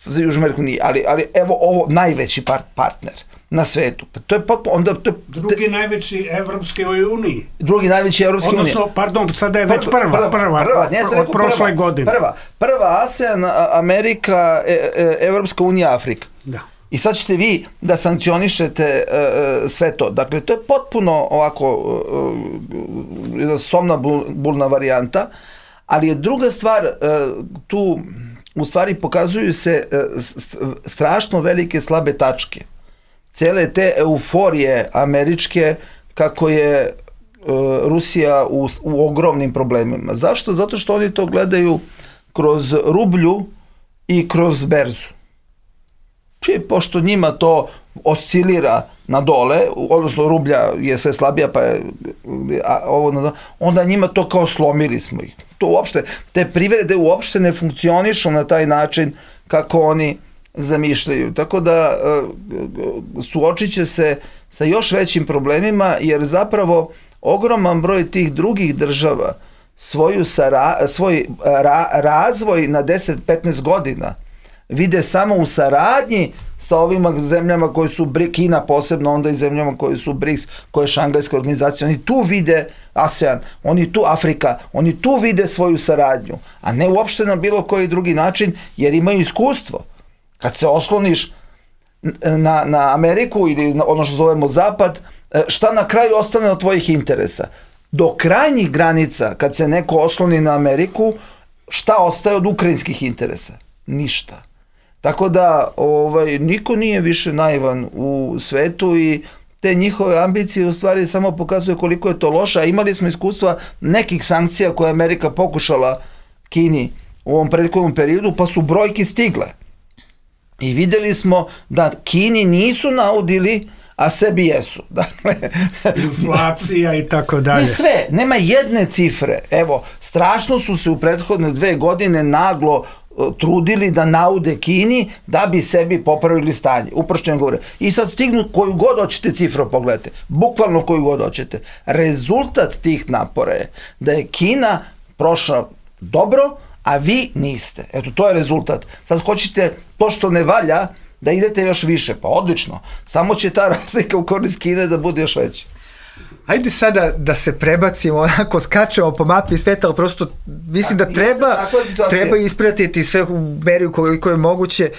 Južnoj Americi, ali, ali evo ovo, najveći part, partner na svetu. Pa to je potpuno, onda to je, drugi te, najveći Evropske uniji. Drugi najveći Evropske unije. Odnosno, pardon, sada je već prva, prva, prva, prva, ne, prva od prošle prva, godine. Prva, prva ASEAN, Amerika, e, e, Evropska unija, Afrika. Da. I sad ćete vi da sankcionišete e, sve to. Dakle, to je potpuno ovako jedna somna bulna varijanta, ali je druga stvar, e, tu u stvari pokazuju se e, strašno velike slabe tačke. Cele te euforije američke kako je uh, Rusija u, u ogromnim problemima. Zašto? Zato što oni to gledaju kroz rublju i kroz berzu. I pošto njima to oscilira na dole, odnosno rublja je sve slabija, pa je, a, ovo na dole, onda njima to kao slomili smo ih. To uopšte, te privrede uopšte ne funkcionišu na taj način kako oni zamišljaju. Tako da suočit će se sa još većim problemima, jer zapravo ogroman broj tih drugih država svoju sara, svoj ra, razvoj na deset do petnaest godina vide samo u saradnji sa ovima zemljama koji su Kina posebno, onda i zemljama koji su B R I C S, koja je šangajska organizacija. Oni tu vide ASEAN, oni tu Afrika, oni tu vide svoju saradnju, a ne uopšte na bilo koji drugi način, jer imaju iskustvo. Kad se osloniš na, na Ameriku ili na ono što zovemo Zapad, šta na kraju ostane od tvojih interesa? Do krajnjih granica, kad se neko osloni na Ameriku, šta ostaje od ukrajinskih interesa? Ništa. Tako da ovaj, niko nije više naivan u svetu i te njihove ambicije u stvari samo pokazuju koliko je to loše, a imali smo iskustva nekih sankcija koje je Amerika pokušala Kini u ovom prethodnom periodu, pa su brojke stigle. I vidjeli smo da Kini nisu naudili, a sebi jesu. Dakle, inflacija i tako dalje. I sve, nema jedne cifre. Evo, strašno su se u prethodne dve godine naglo trudili da naude Kini da bi sebi popravili stanje. Uprošćeno govore. I sad stignu koju god hoćete cifru, pogledajte. Bukvalno koju god hoćete. Rezultat tih napora je da je Kina prošla dobro, a vi niste. Eto, to je rezultat. Sad hoćete to što ne valja, da idete još više. Pa odlično. Samo će ta razlika u korist Kine da bude još veća. Ajde sada da se prebacimo, onako skačemo po mapi sveta, ali prosto mislim da treba, treba ispratiti sve u meri koliko je moguće.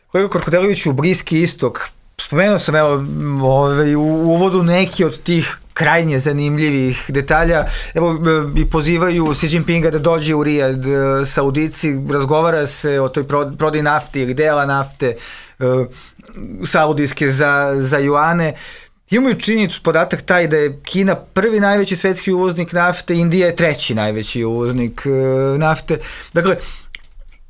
Kolega Korkodelević, u Bliski istok, spomenuo sam evo, ovaj, u uvodu neki od tih krajnje zanimljivih detalja, evo i pozivaju Xi Jinpinga da dođe u Rijad, Saudici, razgovara se o toj prodaji nafte ili dela nafte saudijske za, za juane. Imaju činjenicu, podatak taj da je Kina prvi najveći svetski uvoznik nafte, Indija je treći najveći uvoznik e, nafte. Dakle,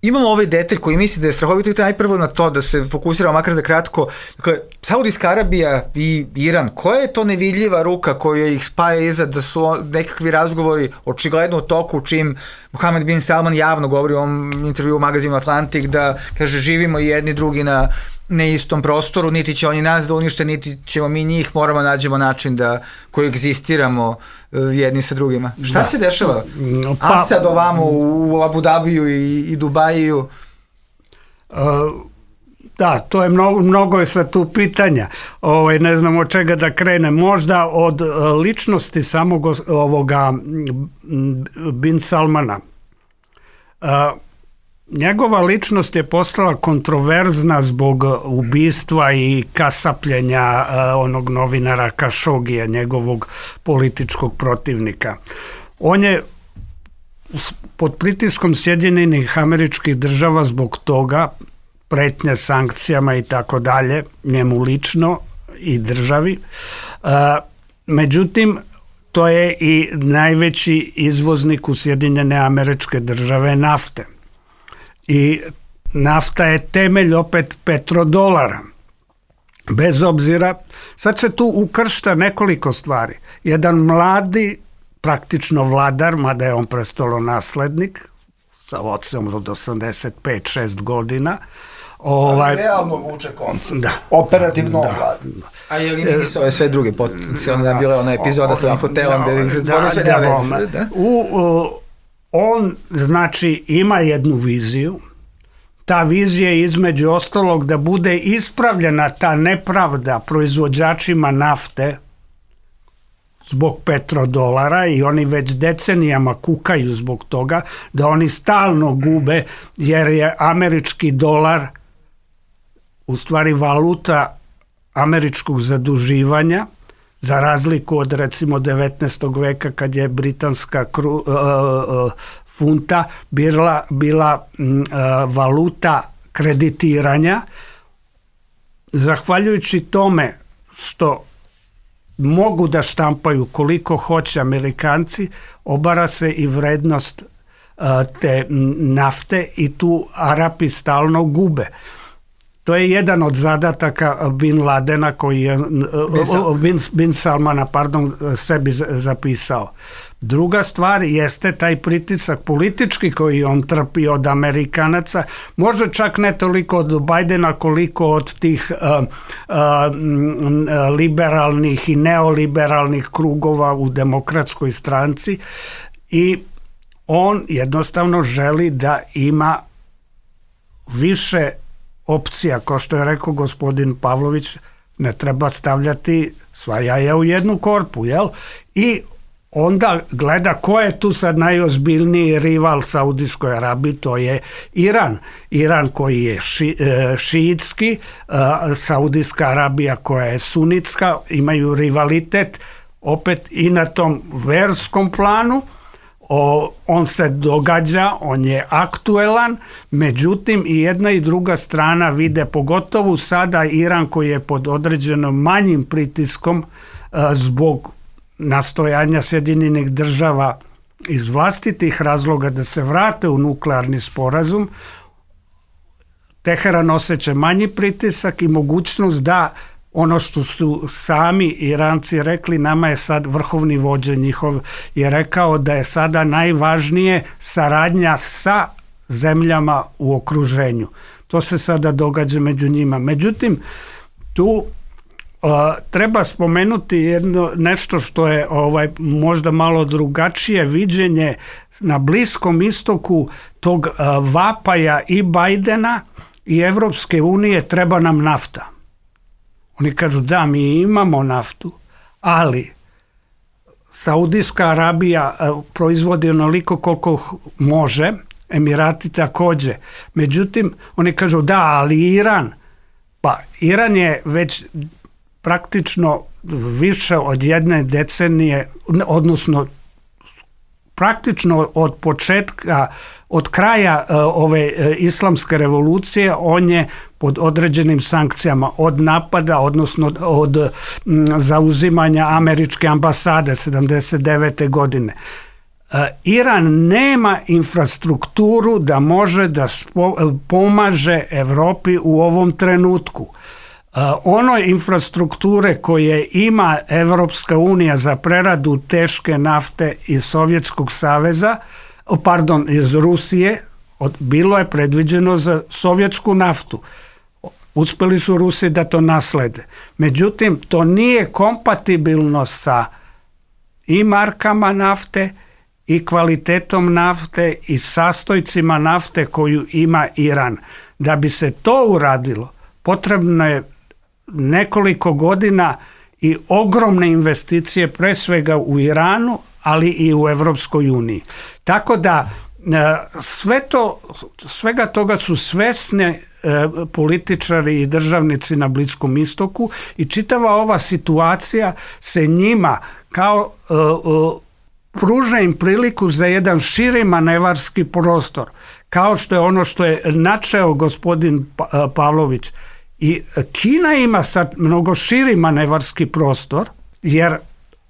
imamo ovaj detalj koji misli da je strahovito i najprvo na to da se fokusiramo makar za kratko. Dakle, Saudijska Arabija i Iran, koja je to nevidljiva ruka koja ih spaja iza da su nekakvi razgovori očigledno u toku, čim Mohamed bin Salman javno govori u ovom intervju u magazinu Atlantik da, kaže, živimo i jedni drugi na ne istom prostoru, niti će oni nas da unište, niti ćemo mi njih, moramo nađemo način da koegzistiramo jedni sa drugima. Šta da se dešava? Pa, a sad ovamo u Abu Dabiju i, i Dubaju? Uh, da, to je mnogo, mnogo je sad tu pitanja. Ovaj, ne znam od čega da krene. Možda od uh, ličnosti samog ovoga bin Salmana. Uh, Njegova ličnost je postala kontroverzna zbog ubistva i kasapljenja uh, onog novinara Kašogija, njegovog političkog protivnika. On je pod pritiskom Sjedinjenih Američkih Država zbog toga, pretnje sankcijama i tako dalje, njemu lično i državi. Uh, međutim, to je i najveći izvoznik u Sjedinjene Američke Države nafte. I nafta je temelj opet petrodolara. Bez obzira, sad se tu ukršta nekoliko stvari. Jedan mladi, praktično vladar, mada je on prestolonaslednik, sa ocem od osamdeset pet šest godina. Ovaj, ali realno vuče koncept. Da. Operativno da, vladi. Da. A je li mi su ove sve druge potencijalne, da, bila ona epizoda sa hotelom gde se da, sve da, da, da. U, u, on, znači, ima jednu viziju. Ta vizija je između ostalog da bude ispravljena ta nepravda proizvođačima nafte zbog petrodolara i oni već decenijama kukaju zbog toga da oni stalno gube jer je američki dolar u stvari valuta američkog zaduživanja za razliku od recimo devetnaestog veka kad je britanska kru, uh, uh, funta bila, bila uh, valuta kreditiranja. Zahvaljujući tome što mogu da štampaju koliko hoće Amerikanci, obara se i vrednost uh, te nafte i tu Arapi stalno gube. To je jedan od zadataka Bin Ladena koji je Bin, Bin Salmana pardon, sebi zapisao. Druga stvar jeste taj pritisak politički koji on trpi od Amerikanaca, možda čak ne toliko od Bajdena koliko od tih uh, uh, liberalnih i neoliberalnih krugova u demokratskoj stranci i on jednostavno želi da ima više opcija, kao što je rekao gospodin Pavlović, ne treba stavljati sva jaja u jednu korpu, jel? I onda gleda ko je tu sad najozbiljniji rival Saudijskoj Arabiji, to je Iran. Iran koji je ši, e, šiitski, e, Saudijska Arabija koja je sunitska, imaju rivalitet opet i na tom verskom planu. O, on se događa, on je aktuelan, međutim i jedna i druga strana vide, pogotovo sada Iran koji je pod određenom manjim pritiskom a, zbog nastojanja Sjedinjenih Država iz vlastitih razloga da se vrate u nuklearni sporazum, Teheran osjeća manji pritisak i mogućnost da ono što su sami Iranci rekli, nama je sad vrhovni vođa njihov je rekao da je sada najvažnije saradnja sa zemljama u okruženju. To se sada događa među njima. Međutim, tu uh, treba spomenuti jedno, nešto što je ovaj, možda malo drugačije viđenje na Bliskom istoku tog uh, vapaja i Bajdena i Evropske unije, treba nam nafta. Oni kažu da, mi imamo naftu, ali Saudijska Arabija proizvodi onoliko koliko može, Emirati također. Međutim, oni kažu da, ali Iran, pa Iran je već praktično više od jedne decenije, odnosno praktično od početka, od kraja uh, ove uh, islamske revolucije, on je pod određenim sankcijama od napada, odnosno od m, zauzimanja američke ambasade sedamdeset devete godine. Uh, Iran nema infrastrukturu da može da spo, pomaže Evropi u ovom trenutku. Uh, ono infrastrukture koje ima Evropska unija za preradu teške nafte iz Sovjetskog saveza, pardon, iz Rusije, od, bilo je predviđeno za sovjetsku naftu. Uspeli su Rusi da to naslede. Međutim, to nije kompatibilno sa i markama nafte i kvalitetom nafte i sastojcima nafte koju ima Iran. Da bi se to uradilo, potrebno je nekoliko godina i ogromne investicije, pre svega u Iranu, ali i u Evropskoj uniji. Tako da sve to, svega toga su svesne političari i državnici na Bliskom istoku i čitava ova situacija se njima kao uh, uh, pruža im priliku za jedan širi manevarski prostor, kao što je ono što je načeo gospodin pa, Pavlović. I Kina ima sad mnogo širi manevarski prostor, jer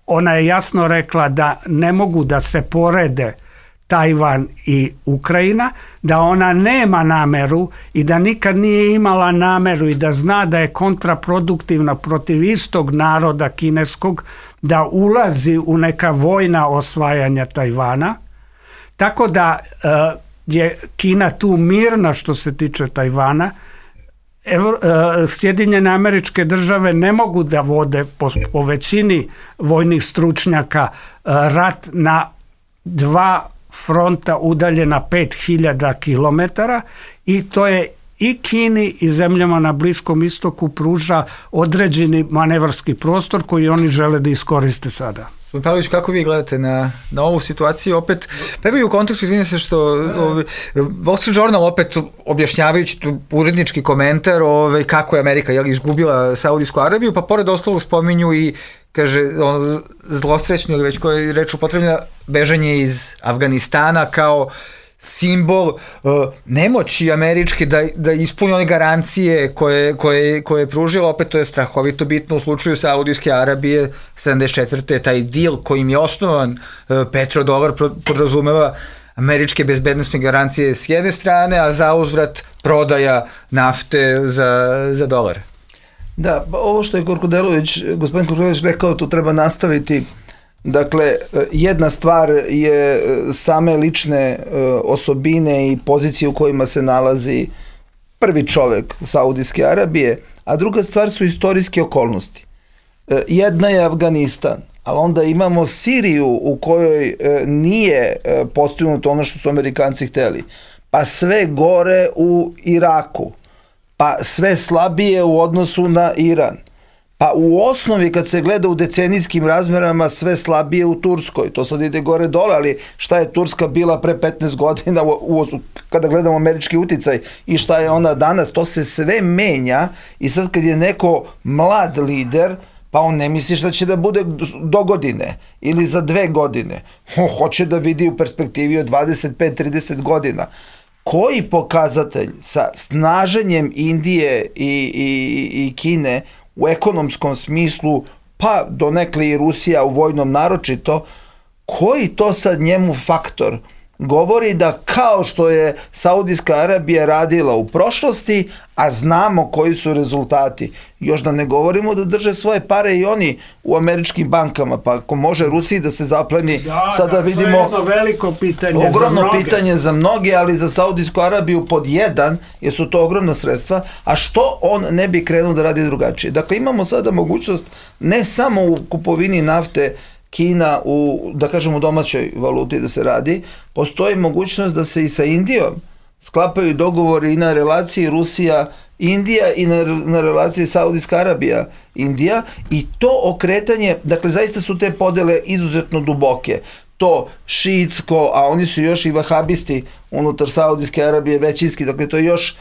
ona je jasno rekla da ne mogu da se porede Tajvan i Ukrajina, da ona nema nameru i da nikad nije imala nameru i da zna da je kontraproduktivna protiv istog naroda kineskog, da ulazi u neka vojna osvajanja Tajvana. Tako da uh, je Kina tu mirna što se tiče Tajvana. Evo, uh, Sjedinjene Američke Države ne mogu da vode po, po većini vojnih stručnjaka uh, rat na dva fronta udaljena pet hiljada kilometara i to je i Kini i zemljama na Bliskom istoku pruža određeni manevarski prostor koji oni žele da iskoriste sada. Gospodin Pavlović, kako vi gledate na, na ovu situaciju? Opet, prvi u kontekstu, izvinite se što ovaj, Wall Street Journal opet objašnjavajući tu urednički komentar ovaj, kako je Amerika jel, izgubila Saudijsku Arabiju, pa pored ostalog spominju i kaže, ono, zlosrećno ili već koje reč upotrebljena, bežanje iz Afganistana kao simbol uh, nemoći američke da, da ispuni one garancije koje, koje, koje je pružila. Opet to je strahovito bitno u slučaju Saudijske Arabije sedamdeset četvrte taj deal kojim je osnovan uh, petrodolar podrazumeva američke bezbednostne garancije s jedne strane, a za uzvrat prodaja nafte za, za dolare. Da, ovo što je Korkudelović, gospodin Korkudelović rekao, to treba nastaviti. Dakle, jedna stvar je same lične osobine i pozicije u kojima se nalazi prvi čovek Saudijske Arabije, a druga stvar su istorijske okolnosti. Jedna je Afganistan, ali onda imamo Siriju u kojoj nije postignuto ono što su Amerikanci hteli, pa sve gore u Iraku, pa sve slabije u odnosu na Iran. Pa u osnovi kad se gleda u decenijskim razmerama sve slabije u Turskoj, to sad ide gore dole, ali šta je Turska bila pre petnaest godina u, u, kada gledamo američki uticaj i šta je ona danas, to se sve menja i sad kad je neko mlad lider, pa on ne misli šta će da bude do godine ili za dve godine, on hoće da vidi u perspektivi od dvadeset pet do trideset godina. Koji pokazatelj sa snaženjem Indije i, i, i Kine u ekonomskom smislu, pa donekle i Rusija u vojnom naročito, koji to sad njemu faktor govori da kao što je Saudijska Arabija radila u prošlosti, a znamo koji su rezultati, još da ne govorimo da drže svoje pare i oni u američkim bankama, pa ako može Rusiji da se zapleni, da, sada da, vidimo... To je jedno veliko pitanje ogromno za mnoge. pitanje za mnoge, ali za Saudijsku Arabiju pod jedan, jer su to ogromna sredstva, a što on ne bi krenuo da radi drugačije? Dakle, imamo sada mogućnost ne samo u kupovini nafte Kina u, da kažemo, domaćoj valuti da se radi, postoji mogućnost da se i sa Indijom sklapaju dogovori i na relaciji Rusija-Indija i na, na relaciji Saudijska Arabija-Indija, i to okretanje, dakle zaista su te podele izuzetno duboke. To šiitsko, a oni su još i vahabisti unutar Saudijske Arabije većinski, dakle to je još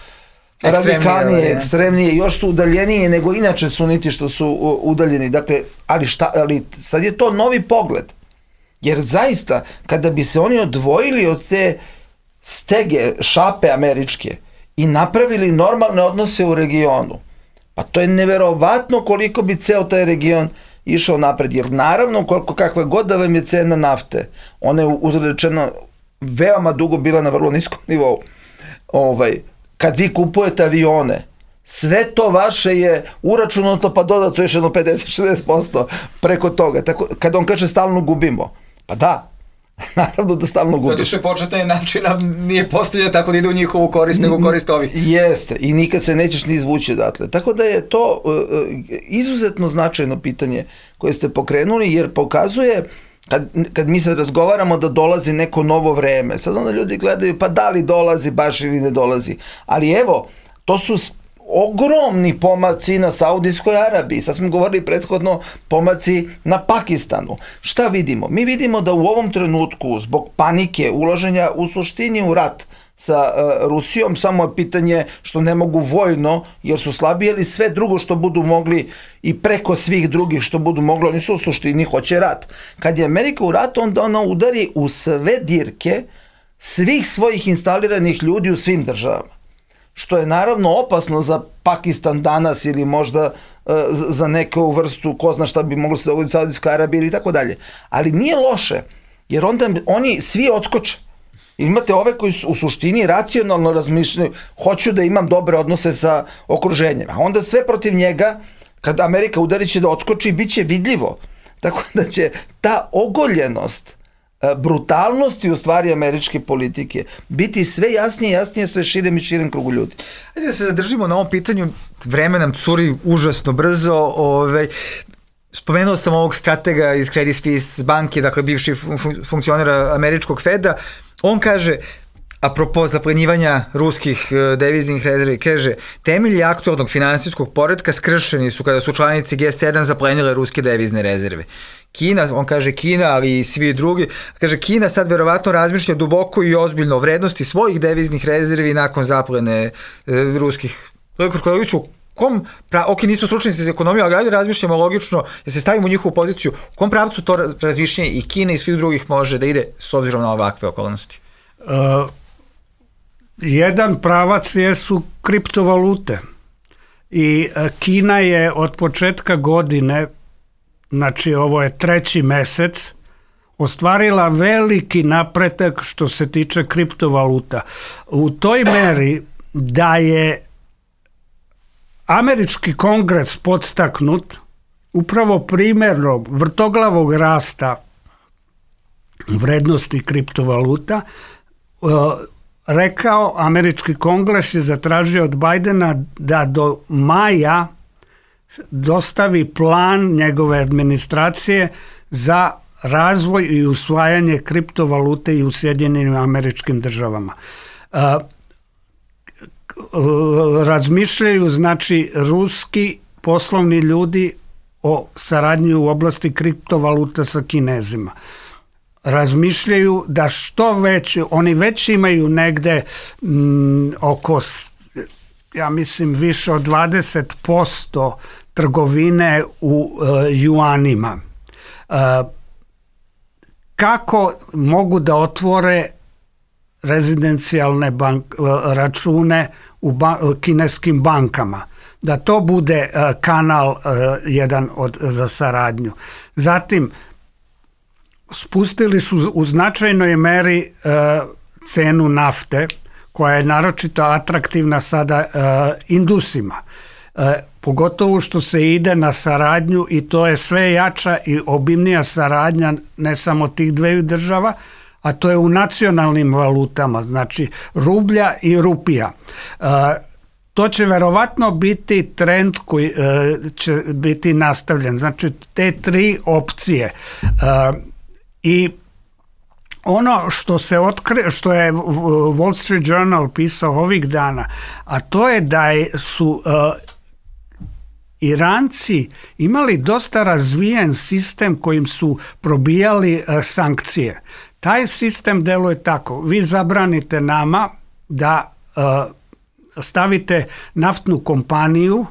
radikalnije, ekstremnije, još su udaljenije nego inače suniti što su udaljeni. Dakle, ali, šta, ali sad je to novi pogled. Jer zaista, kada bi se oni odvojili od te stege, šape američke i napravili normalne odnose u regionu, pa to je neverovatno koliko bi ceo taj region išao napred. Jer naravno, koliko kakva god da vam je cena nafte, ona je uzrečeno veoma dugo bila na vrlo niskom nivou. Ovaj, kad vi kupujete avione, sve to vaše je uračunato pa dodato još jedno pedeset do šezdeset posto preko toga. Tako, kad on kaže stalno gubimo, pa da, naravno da stalno gubiš. Zato što je početna načina nije postavljena tako da ide u njihovu korist, nego u korist ovih. Jeste, i nikad se nećeš ni izvući odatle. Tako da je to uh, izuzetno značajno pitanje koje ste pokrenuli, jer pokazuje, kad, kad mi sad razgovaramo da dolazi neko novo vreme, sad onda ljudi gledaju pa da li dolazi baš ili ne dolazi. Ali evo, to su ogromni pomaci na Saudijskoj Arabiji. Sad smo govorili prethodno pomaci na Pakistanu. Šta vidimo? Mi vidimo da u ovom trenutku zbog panike ulaženja u suštini u rat sa uh, Rusijom, samo je pitanje što ne mogu vojno jer su slabiji, ali sve drugo što budu mogli i preko svih drugih što budu mogli, oni su u suštini hoće rat. Kad je Amerika u ratu, onda ona udari u sve dirke svih svojih instaliranih ljudi u svim državama. Što je naravno opasno za Pakistan danas ili možda uh, za neku vrstu, ko zna šta bi moglo se dogoditi u Saudijskoj Arabiji ili tako dalje. Ali nije loše, jer onda oni svi odskoče. Imate ove koji su u suštini racionalno razmišljaju, hoću da imam dobre odnose sa okruženjem, a onda sve protiv njega, kad Amerika udari, će da odskoči i bit će vidljivo. Tako da će ta ogoljenost, brutalnosti u stvari američke politike biti sve jasnije i jasnije sve širem i širem krugu ljudi. Ajde da se zadržimo na ovom pitanju, vreme nam curi užasno brzo. Ovaj, spomenuo sam ovog stratega iz Credit Suisse banke, dakle bivši fun- funkcionera američkog Feda. On kaže, apropo zaplenjivanja ruskih deviznih rezervi, kaže, temelji aktualnog finansijskog poretka skršeni su kada su članici G sedam zaplenile ruske devizne rezerve. Kina, on kaže Kina, ali i svi drugi, kaže Kina sad verovatno razmišlja duboko i ozbiljno o vrednosti svojih deviznih rezervi nakon zaplene e, ruskih. Krkoviću, kom, pra, ok, nismo stručnici za ekonomiju, ali ajde razmišljamo logično, jer se stavimo u njihovu poziciju, u kom pravcu to razmišljanje i Kina i svih drugih može da ide s obzirom na ovakve okolnosti? Uh, jedan pravac jesu kriptovalute i uh, Kina je od početka godine, znači ovo je treći mesec, ostvarila veliki napredak što se tiče kriptovaluta. U toj meri da je američki kongres podstaknut upravo primjerom vrtoglavog rasta vrednosti kriptovaluta, rekao, američki kongres je zatražio od Bajdena da do maja dostavi plan njegove administracije za razvoj i usvajanje kriptovalute i u Sjedinjenim Američkim Državama. Razmišljaju, znači, ruski poslovni ljudi o saradnji u oblasti kriptovaluta sa Kinezima. Razmišljaju da što već, oni već imaju negde m, oko, ja mislim, više od dvadeset posto trgovine u uh, juanima. Uh, kako mogu da otvore rezidencijalne bank, uh, račune u ba, uh, kineskim bankama? Da to bude uh, kanal uh, jedan od, za saradnju. Zatim, spustili su u značajnoj meri e, cenu nafte, koja je naročito atraktivna sada e, Indusima. E, pogotovo što se ide na saradnju i to je sve jača i obimnija saradnja ne samo tih dveju država, a to je u nacionalnim valutama, znači rublja i rupija. E, to će verovatno biti trend koji e, će biti nastavljen. Znači te tri opcije. E, I ono što se otkri, što je Wall Street Journal pisao ovih dana, a to je da su uh, Iranci imali dosta razvijen sistem kojim su probijali uh, sankcije. Taj sistem deluje tako. Vi zabranite nama da uh, stavite naftnu kompaniju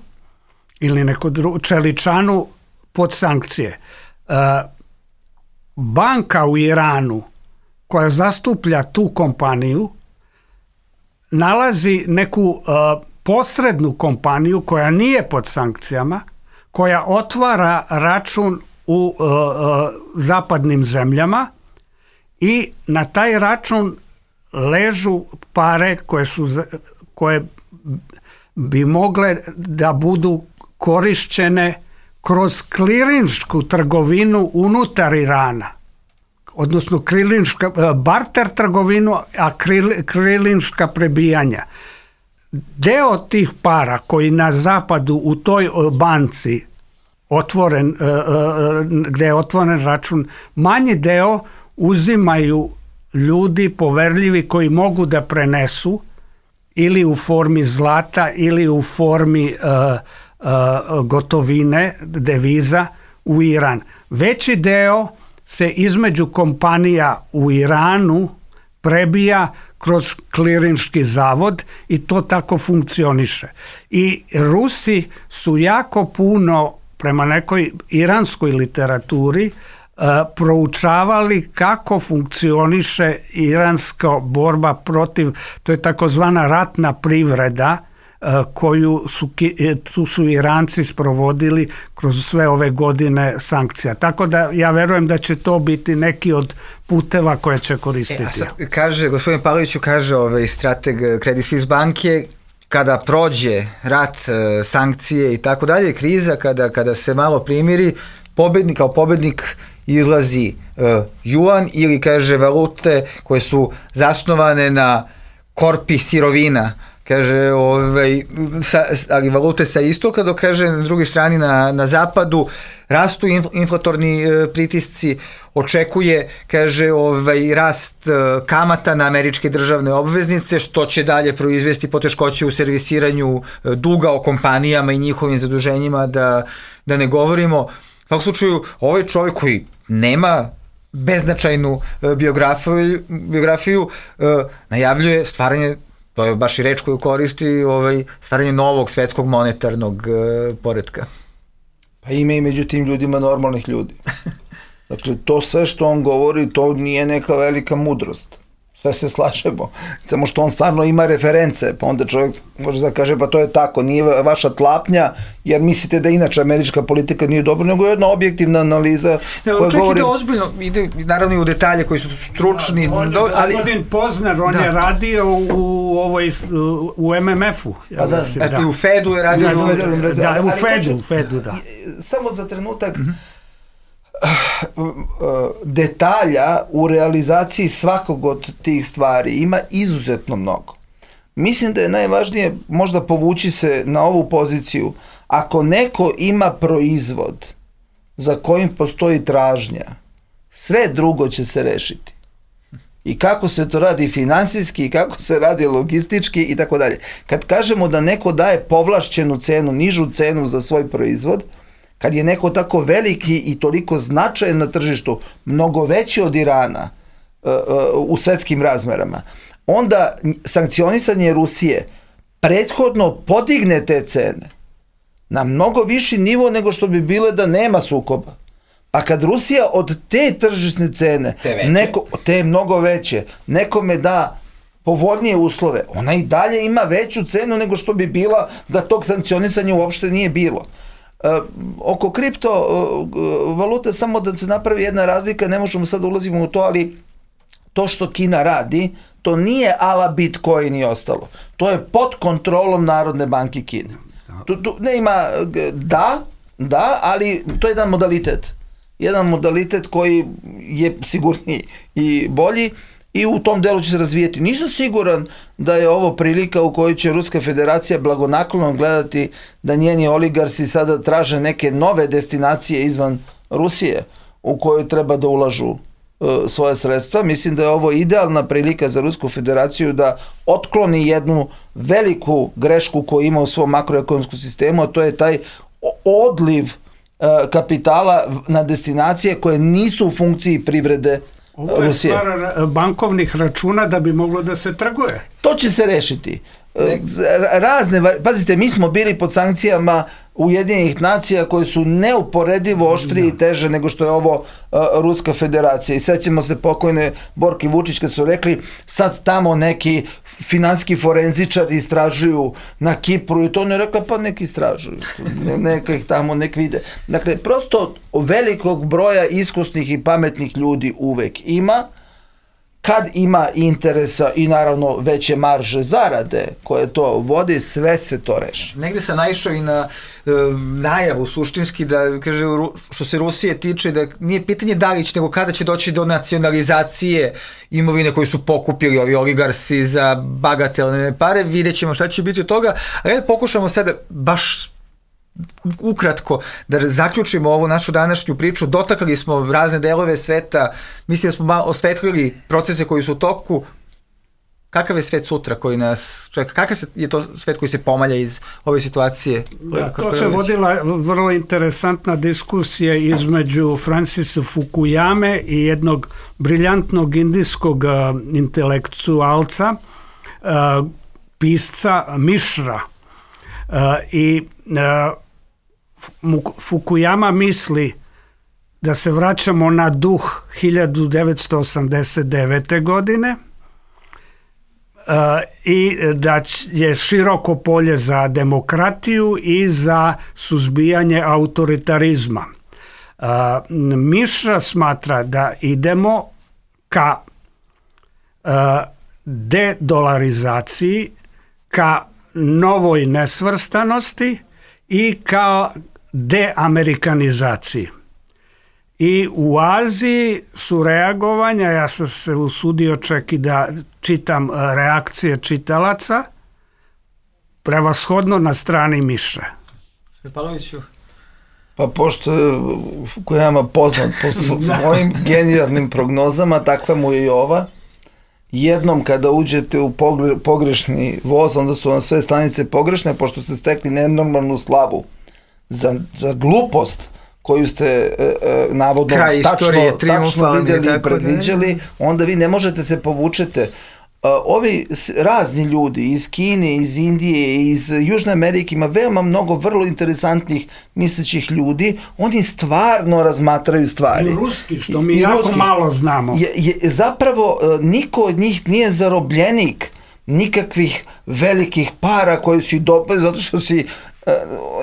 ili neku dru, čeličanu pod sankcije. Uh, banka u Iranu koja zastuplja tu kompaniju nalazi neku uh, posrednu kompaniju koja nije pod sankcijama, koja otvara račun u uh, uh, zapadnim zemljama i na taj račun ležu pare koje su koje bi mogle da budu korišćene kroz klirinšku trgovinu unutar Irana. Odnosno krilinška, barter trgovinu, a krilinška prebijanja. Deo tih para koji na zapadu u toj banci otvoren, gde je otvoren račun, manji deo uzimaju ljudi poverljivi koji mogu da prenesu ili u formi zlata ili u formi uh, uh, gotovine, deviza u Iran. Veći deo se između kompanija u Iranu prebija kroz klirinški zavod i to tako funkcioniše. I Rusi su jako puno, prema nekoj iranskoj literaturi, uh, proučavali kako funkcioniše iranska borba protiv, to je takozvana ratna privreda, koju su, tu su Iranci sprovodili kroz sve ove godine sankcija. Tako da ja verujem da će to biti neki od puteva koje će koristiti. E, a sad kaže, gospodin Pavloviću kaže ovaj strateg Credit Suisse banke, kada prođe rat, sankcije i tako dalje, kriza, kada, kada se malo primiri, pobednik, kao pobednik izlazi uh, juan ili kaže valute koje su zasnovane na korpi sirovina, kaže, ovaj, sa, ali valute sa istoka, dok kaže na drugoj strani na, na zapadu rastu inflatorni e, pritisci, očekuje, kaže, ovaj, rast e, kamata na američke državne obveznice, što će dalje proizvesti poteškoće u servisiranju e, duga o kompanijama i njihovim zaduženjima, da, da ne govorimo. U svakom slučaju, ovaj čovjek koji nema beznačajnu e, biografiju, biografiju e, najavljuje stvaranje, to je baš i reč koju koristi, ovaj, stvaranje novog svetskog monetarnog e, poretka. Pa ima i među tim ljudima normalnih ljudi. Dakle, to sve što on govori, to nije neka velika mudrost. Sve se slažemo. Samo što on stvarno ima reference, pa onda čovjek može da kaže, pa to je tako, nije vaša tlapnja, jer mislite da inače američka politika nije dobra, nego je jedna objektivna analiza ne, koja govori... Ide ozbiljno, ide naravno i u detalje koji su stručni. On, on, do, ali... Gospodin Pozner, on da. je radio u, ovoj, u M M F-u. Ja da, mislim, da. I u Fedu je radio. Da, u, da, da, u Fedu, u Fedu, da. Samo za trenutak, mm-hmm. detalja u realizaciji svakog od tih stvari ima izuzetno mnogo. Mislim da je najvažnije možda povući se na ovu poziciju. Ako neko ima proizvod za kojim postoji tražnja, sve drugo će se rešiti. I kako se to radi finansijski, i kako se radi logistički i tako dalje. Kad kažemo da neko daje povlašćenu cenu, nižu cenu za svoj proizvod, kad je neko tako veliki i toliko značajan na tržištu, mnogo veći od Irana uh, uh, u svetskim razmerama, onda sankcionisanje Rusije prethodno podigne te cene na mnogo viši nivo nego što bi bile da nema sukoba. A kad Rusija od te tržišne cene, te, neko, te mnogo veće, nekome da povoljnije uslove, ona i dalje ima veću cenu nego što bi bila da tog sankcionisanja uopšte nije bilo. oko kripto valute, samo da se napravi jedna razlika, ne možemo sad ulazimo u to, ali to što Kina radi, to nije ala Bitcoin i ostalo. To je pod kontrolom Narodne banke Kine. Tu, tu ne ima, da, da, ali to je jedan modalitet. Jedan modalitet koji je sigurniji i bolji i u tom delu će se razvijeti. Nisam siguran da je ovo prilika u kojoj će Ruska federacija blagonaklono gledati da njeni oligarsi sada traže neke nove destinacije izvan Rusije u kojoj treba da ulažu uh, svoje sredstva. Mislim da je ovo idealna prilika za Rusku federaciju da otkloni jednu veliku grešku koju ima u svom makroekonomskom sistemu, a to je taj odliv uh, kapitala na destinacije koje nisu u funkciji privrede Ovo je Rusije. stvar bankovnih računa da bi moglo da se trguje. To će se rešiti. Razne, pazite, mi smo bili pod sankcijama Ujedinjenih nacija koje su neuporedivo oštrije i teže nego što je ovo uh, Ruska federacija. I sećamo se pokojne Borke Vučić kad su rekli sad tamo neki finansijski forenzičari istražuju na Kipru i to ne rekla pa neki istražuju. Ne, neka ih tamo nek vide. Dakle, prosto velikog broja iskusnih i pametnih ljudi uvek ima. Kad ima interesa i naravno veće marže zarade koje to vodi, sve se to reši. Negde sam naišao i na e, najavu suštinski da, kaže, što se Rusije tiče, da nije pitanje da li će, nego kada će doći do nacionalizacije imovine koju su pokupili ovi oligarsi za bagatelne pare, vidjet ćemo šta će biti od toga, ali pokušamo sada baš ukratko da zaključimo ovu našu današnju priču. Dotakli smo razne delove sveta, mislim da smo malo osvetlili procese koji su u toku. Kakav je svet sutra koji nas čeka? Kakav je to svet koji se pomalja iz ove situacije? Da, to se vodila vrlo interesantna diskusija između Francisa Fukuyame i jednog briljantnog indijskog uh, intelektualca, uh, pisca Mišra. Uh, I uh, Fukuyama misli da se vraćamo na duh hiljadu devetsto osamdeset devete. godine uh, i da je široko polje za demokratiju i za suzbijanje autoritarizma. Uh, Mišra smatra da idemo ka uh, dedolarizaciji, ka novoj nesvrstanosti i kao deamerikanizaciji. I u Aziji su reagovanja, ja sam se usudio čak i da čitam reakcije čitalaca, prevashodno na strani Mišre. Pavloviću. Pa pošto je Fukuyama poznat po svojim genijalnim prognozama, takva mu je i ova. Jednom kada uđete u pogrešni voz, onda su vam sve stanice pogrešne, pošto ste stekli nenormalnu slavu za, za glupost koju ste e, e, navodno tačno, tačno vidjeli i predviđali, onda vi ne možete se povučete. Ovi razni ljudi iz Kine, iz Indije, iz Južne Amerike, ima veoma mnogo vrlo interesantnih mislećih ljudi, oni stvarno razmatraju stvari. I ruski, što mi I jako ruski. malo znamo. Je, je, zapravo niko od njih nije zarobljenik nikakvih velikih para koji su dobili, zato što si uh,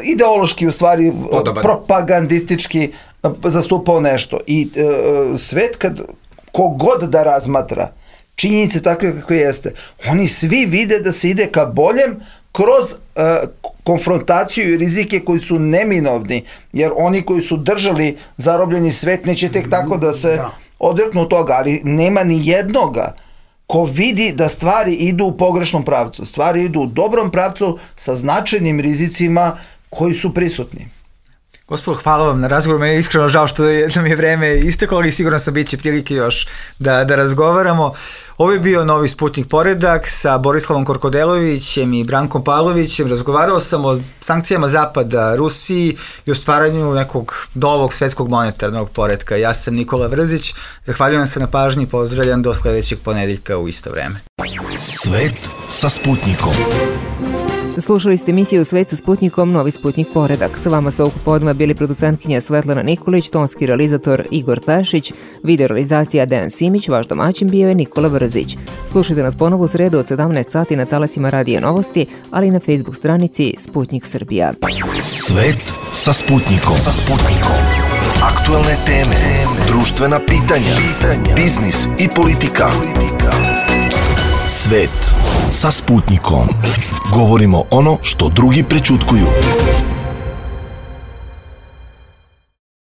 ideološki u stvari Podoban. propagandistički uh, zastupao nešto. I uh, svet kad kogod da razmatra činjenice takve kakve jeste, oni svi vide da se ide ka boljem kroz uh, konfrontaciju i rizike koji su neminovni, jer oni koji su držali zarobljeni svet neće tek tako da se da. odreknu toga, ali nema ni jednoga ko vidi da stvari idu u pogrešnom pravcu. Stvari idu u dobrom pravcu sa značajnim rizicima koji su prisutni. Gospodo, hvala vam na razgovoru, meni je iskreno žao što je, nam je vreme isteklo, ali sigurno sam bit će prilike još da, da razgovaramo. Ovo je bio Novi Sputnik Poredak sa Borislavom Korkodelovićem i Brankom Pavlovićem. Razgovarao sam o sankcijama Zapada, Rusiji i o stvaranju nekog novog svetskog monetarnog poretka. Ja sam Nikola Vrzić, zahvaljujem se na pažnji i pozdravljam do sledećeg ponedeljka u isto vreme. Svet sa Sputnikom. Slušali ste emisiju Svet sa Sputnikom, Novi Sputnik poredak. Sa vama su ovog popodneva bili producentkinja Svetlana Nikolić, tonski realizator Igor Tašić, video realizacija Dejan Simić, vaš domaćin bio je Nikola Vrzić. Slušajte nas ponovo u sredu od sedamnaest sati na talasima Radija Novosti, ali i na Facebook stranici Sputnik Srbija. Svet sa Sputnikom. Sa Sputnikom. Aktuelne teme, društvena pitanja, biznis i politika. Svet sa Sputnikom. Govorimo ono što drugi prećutkuju.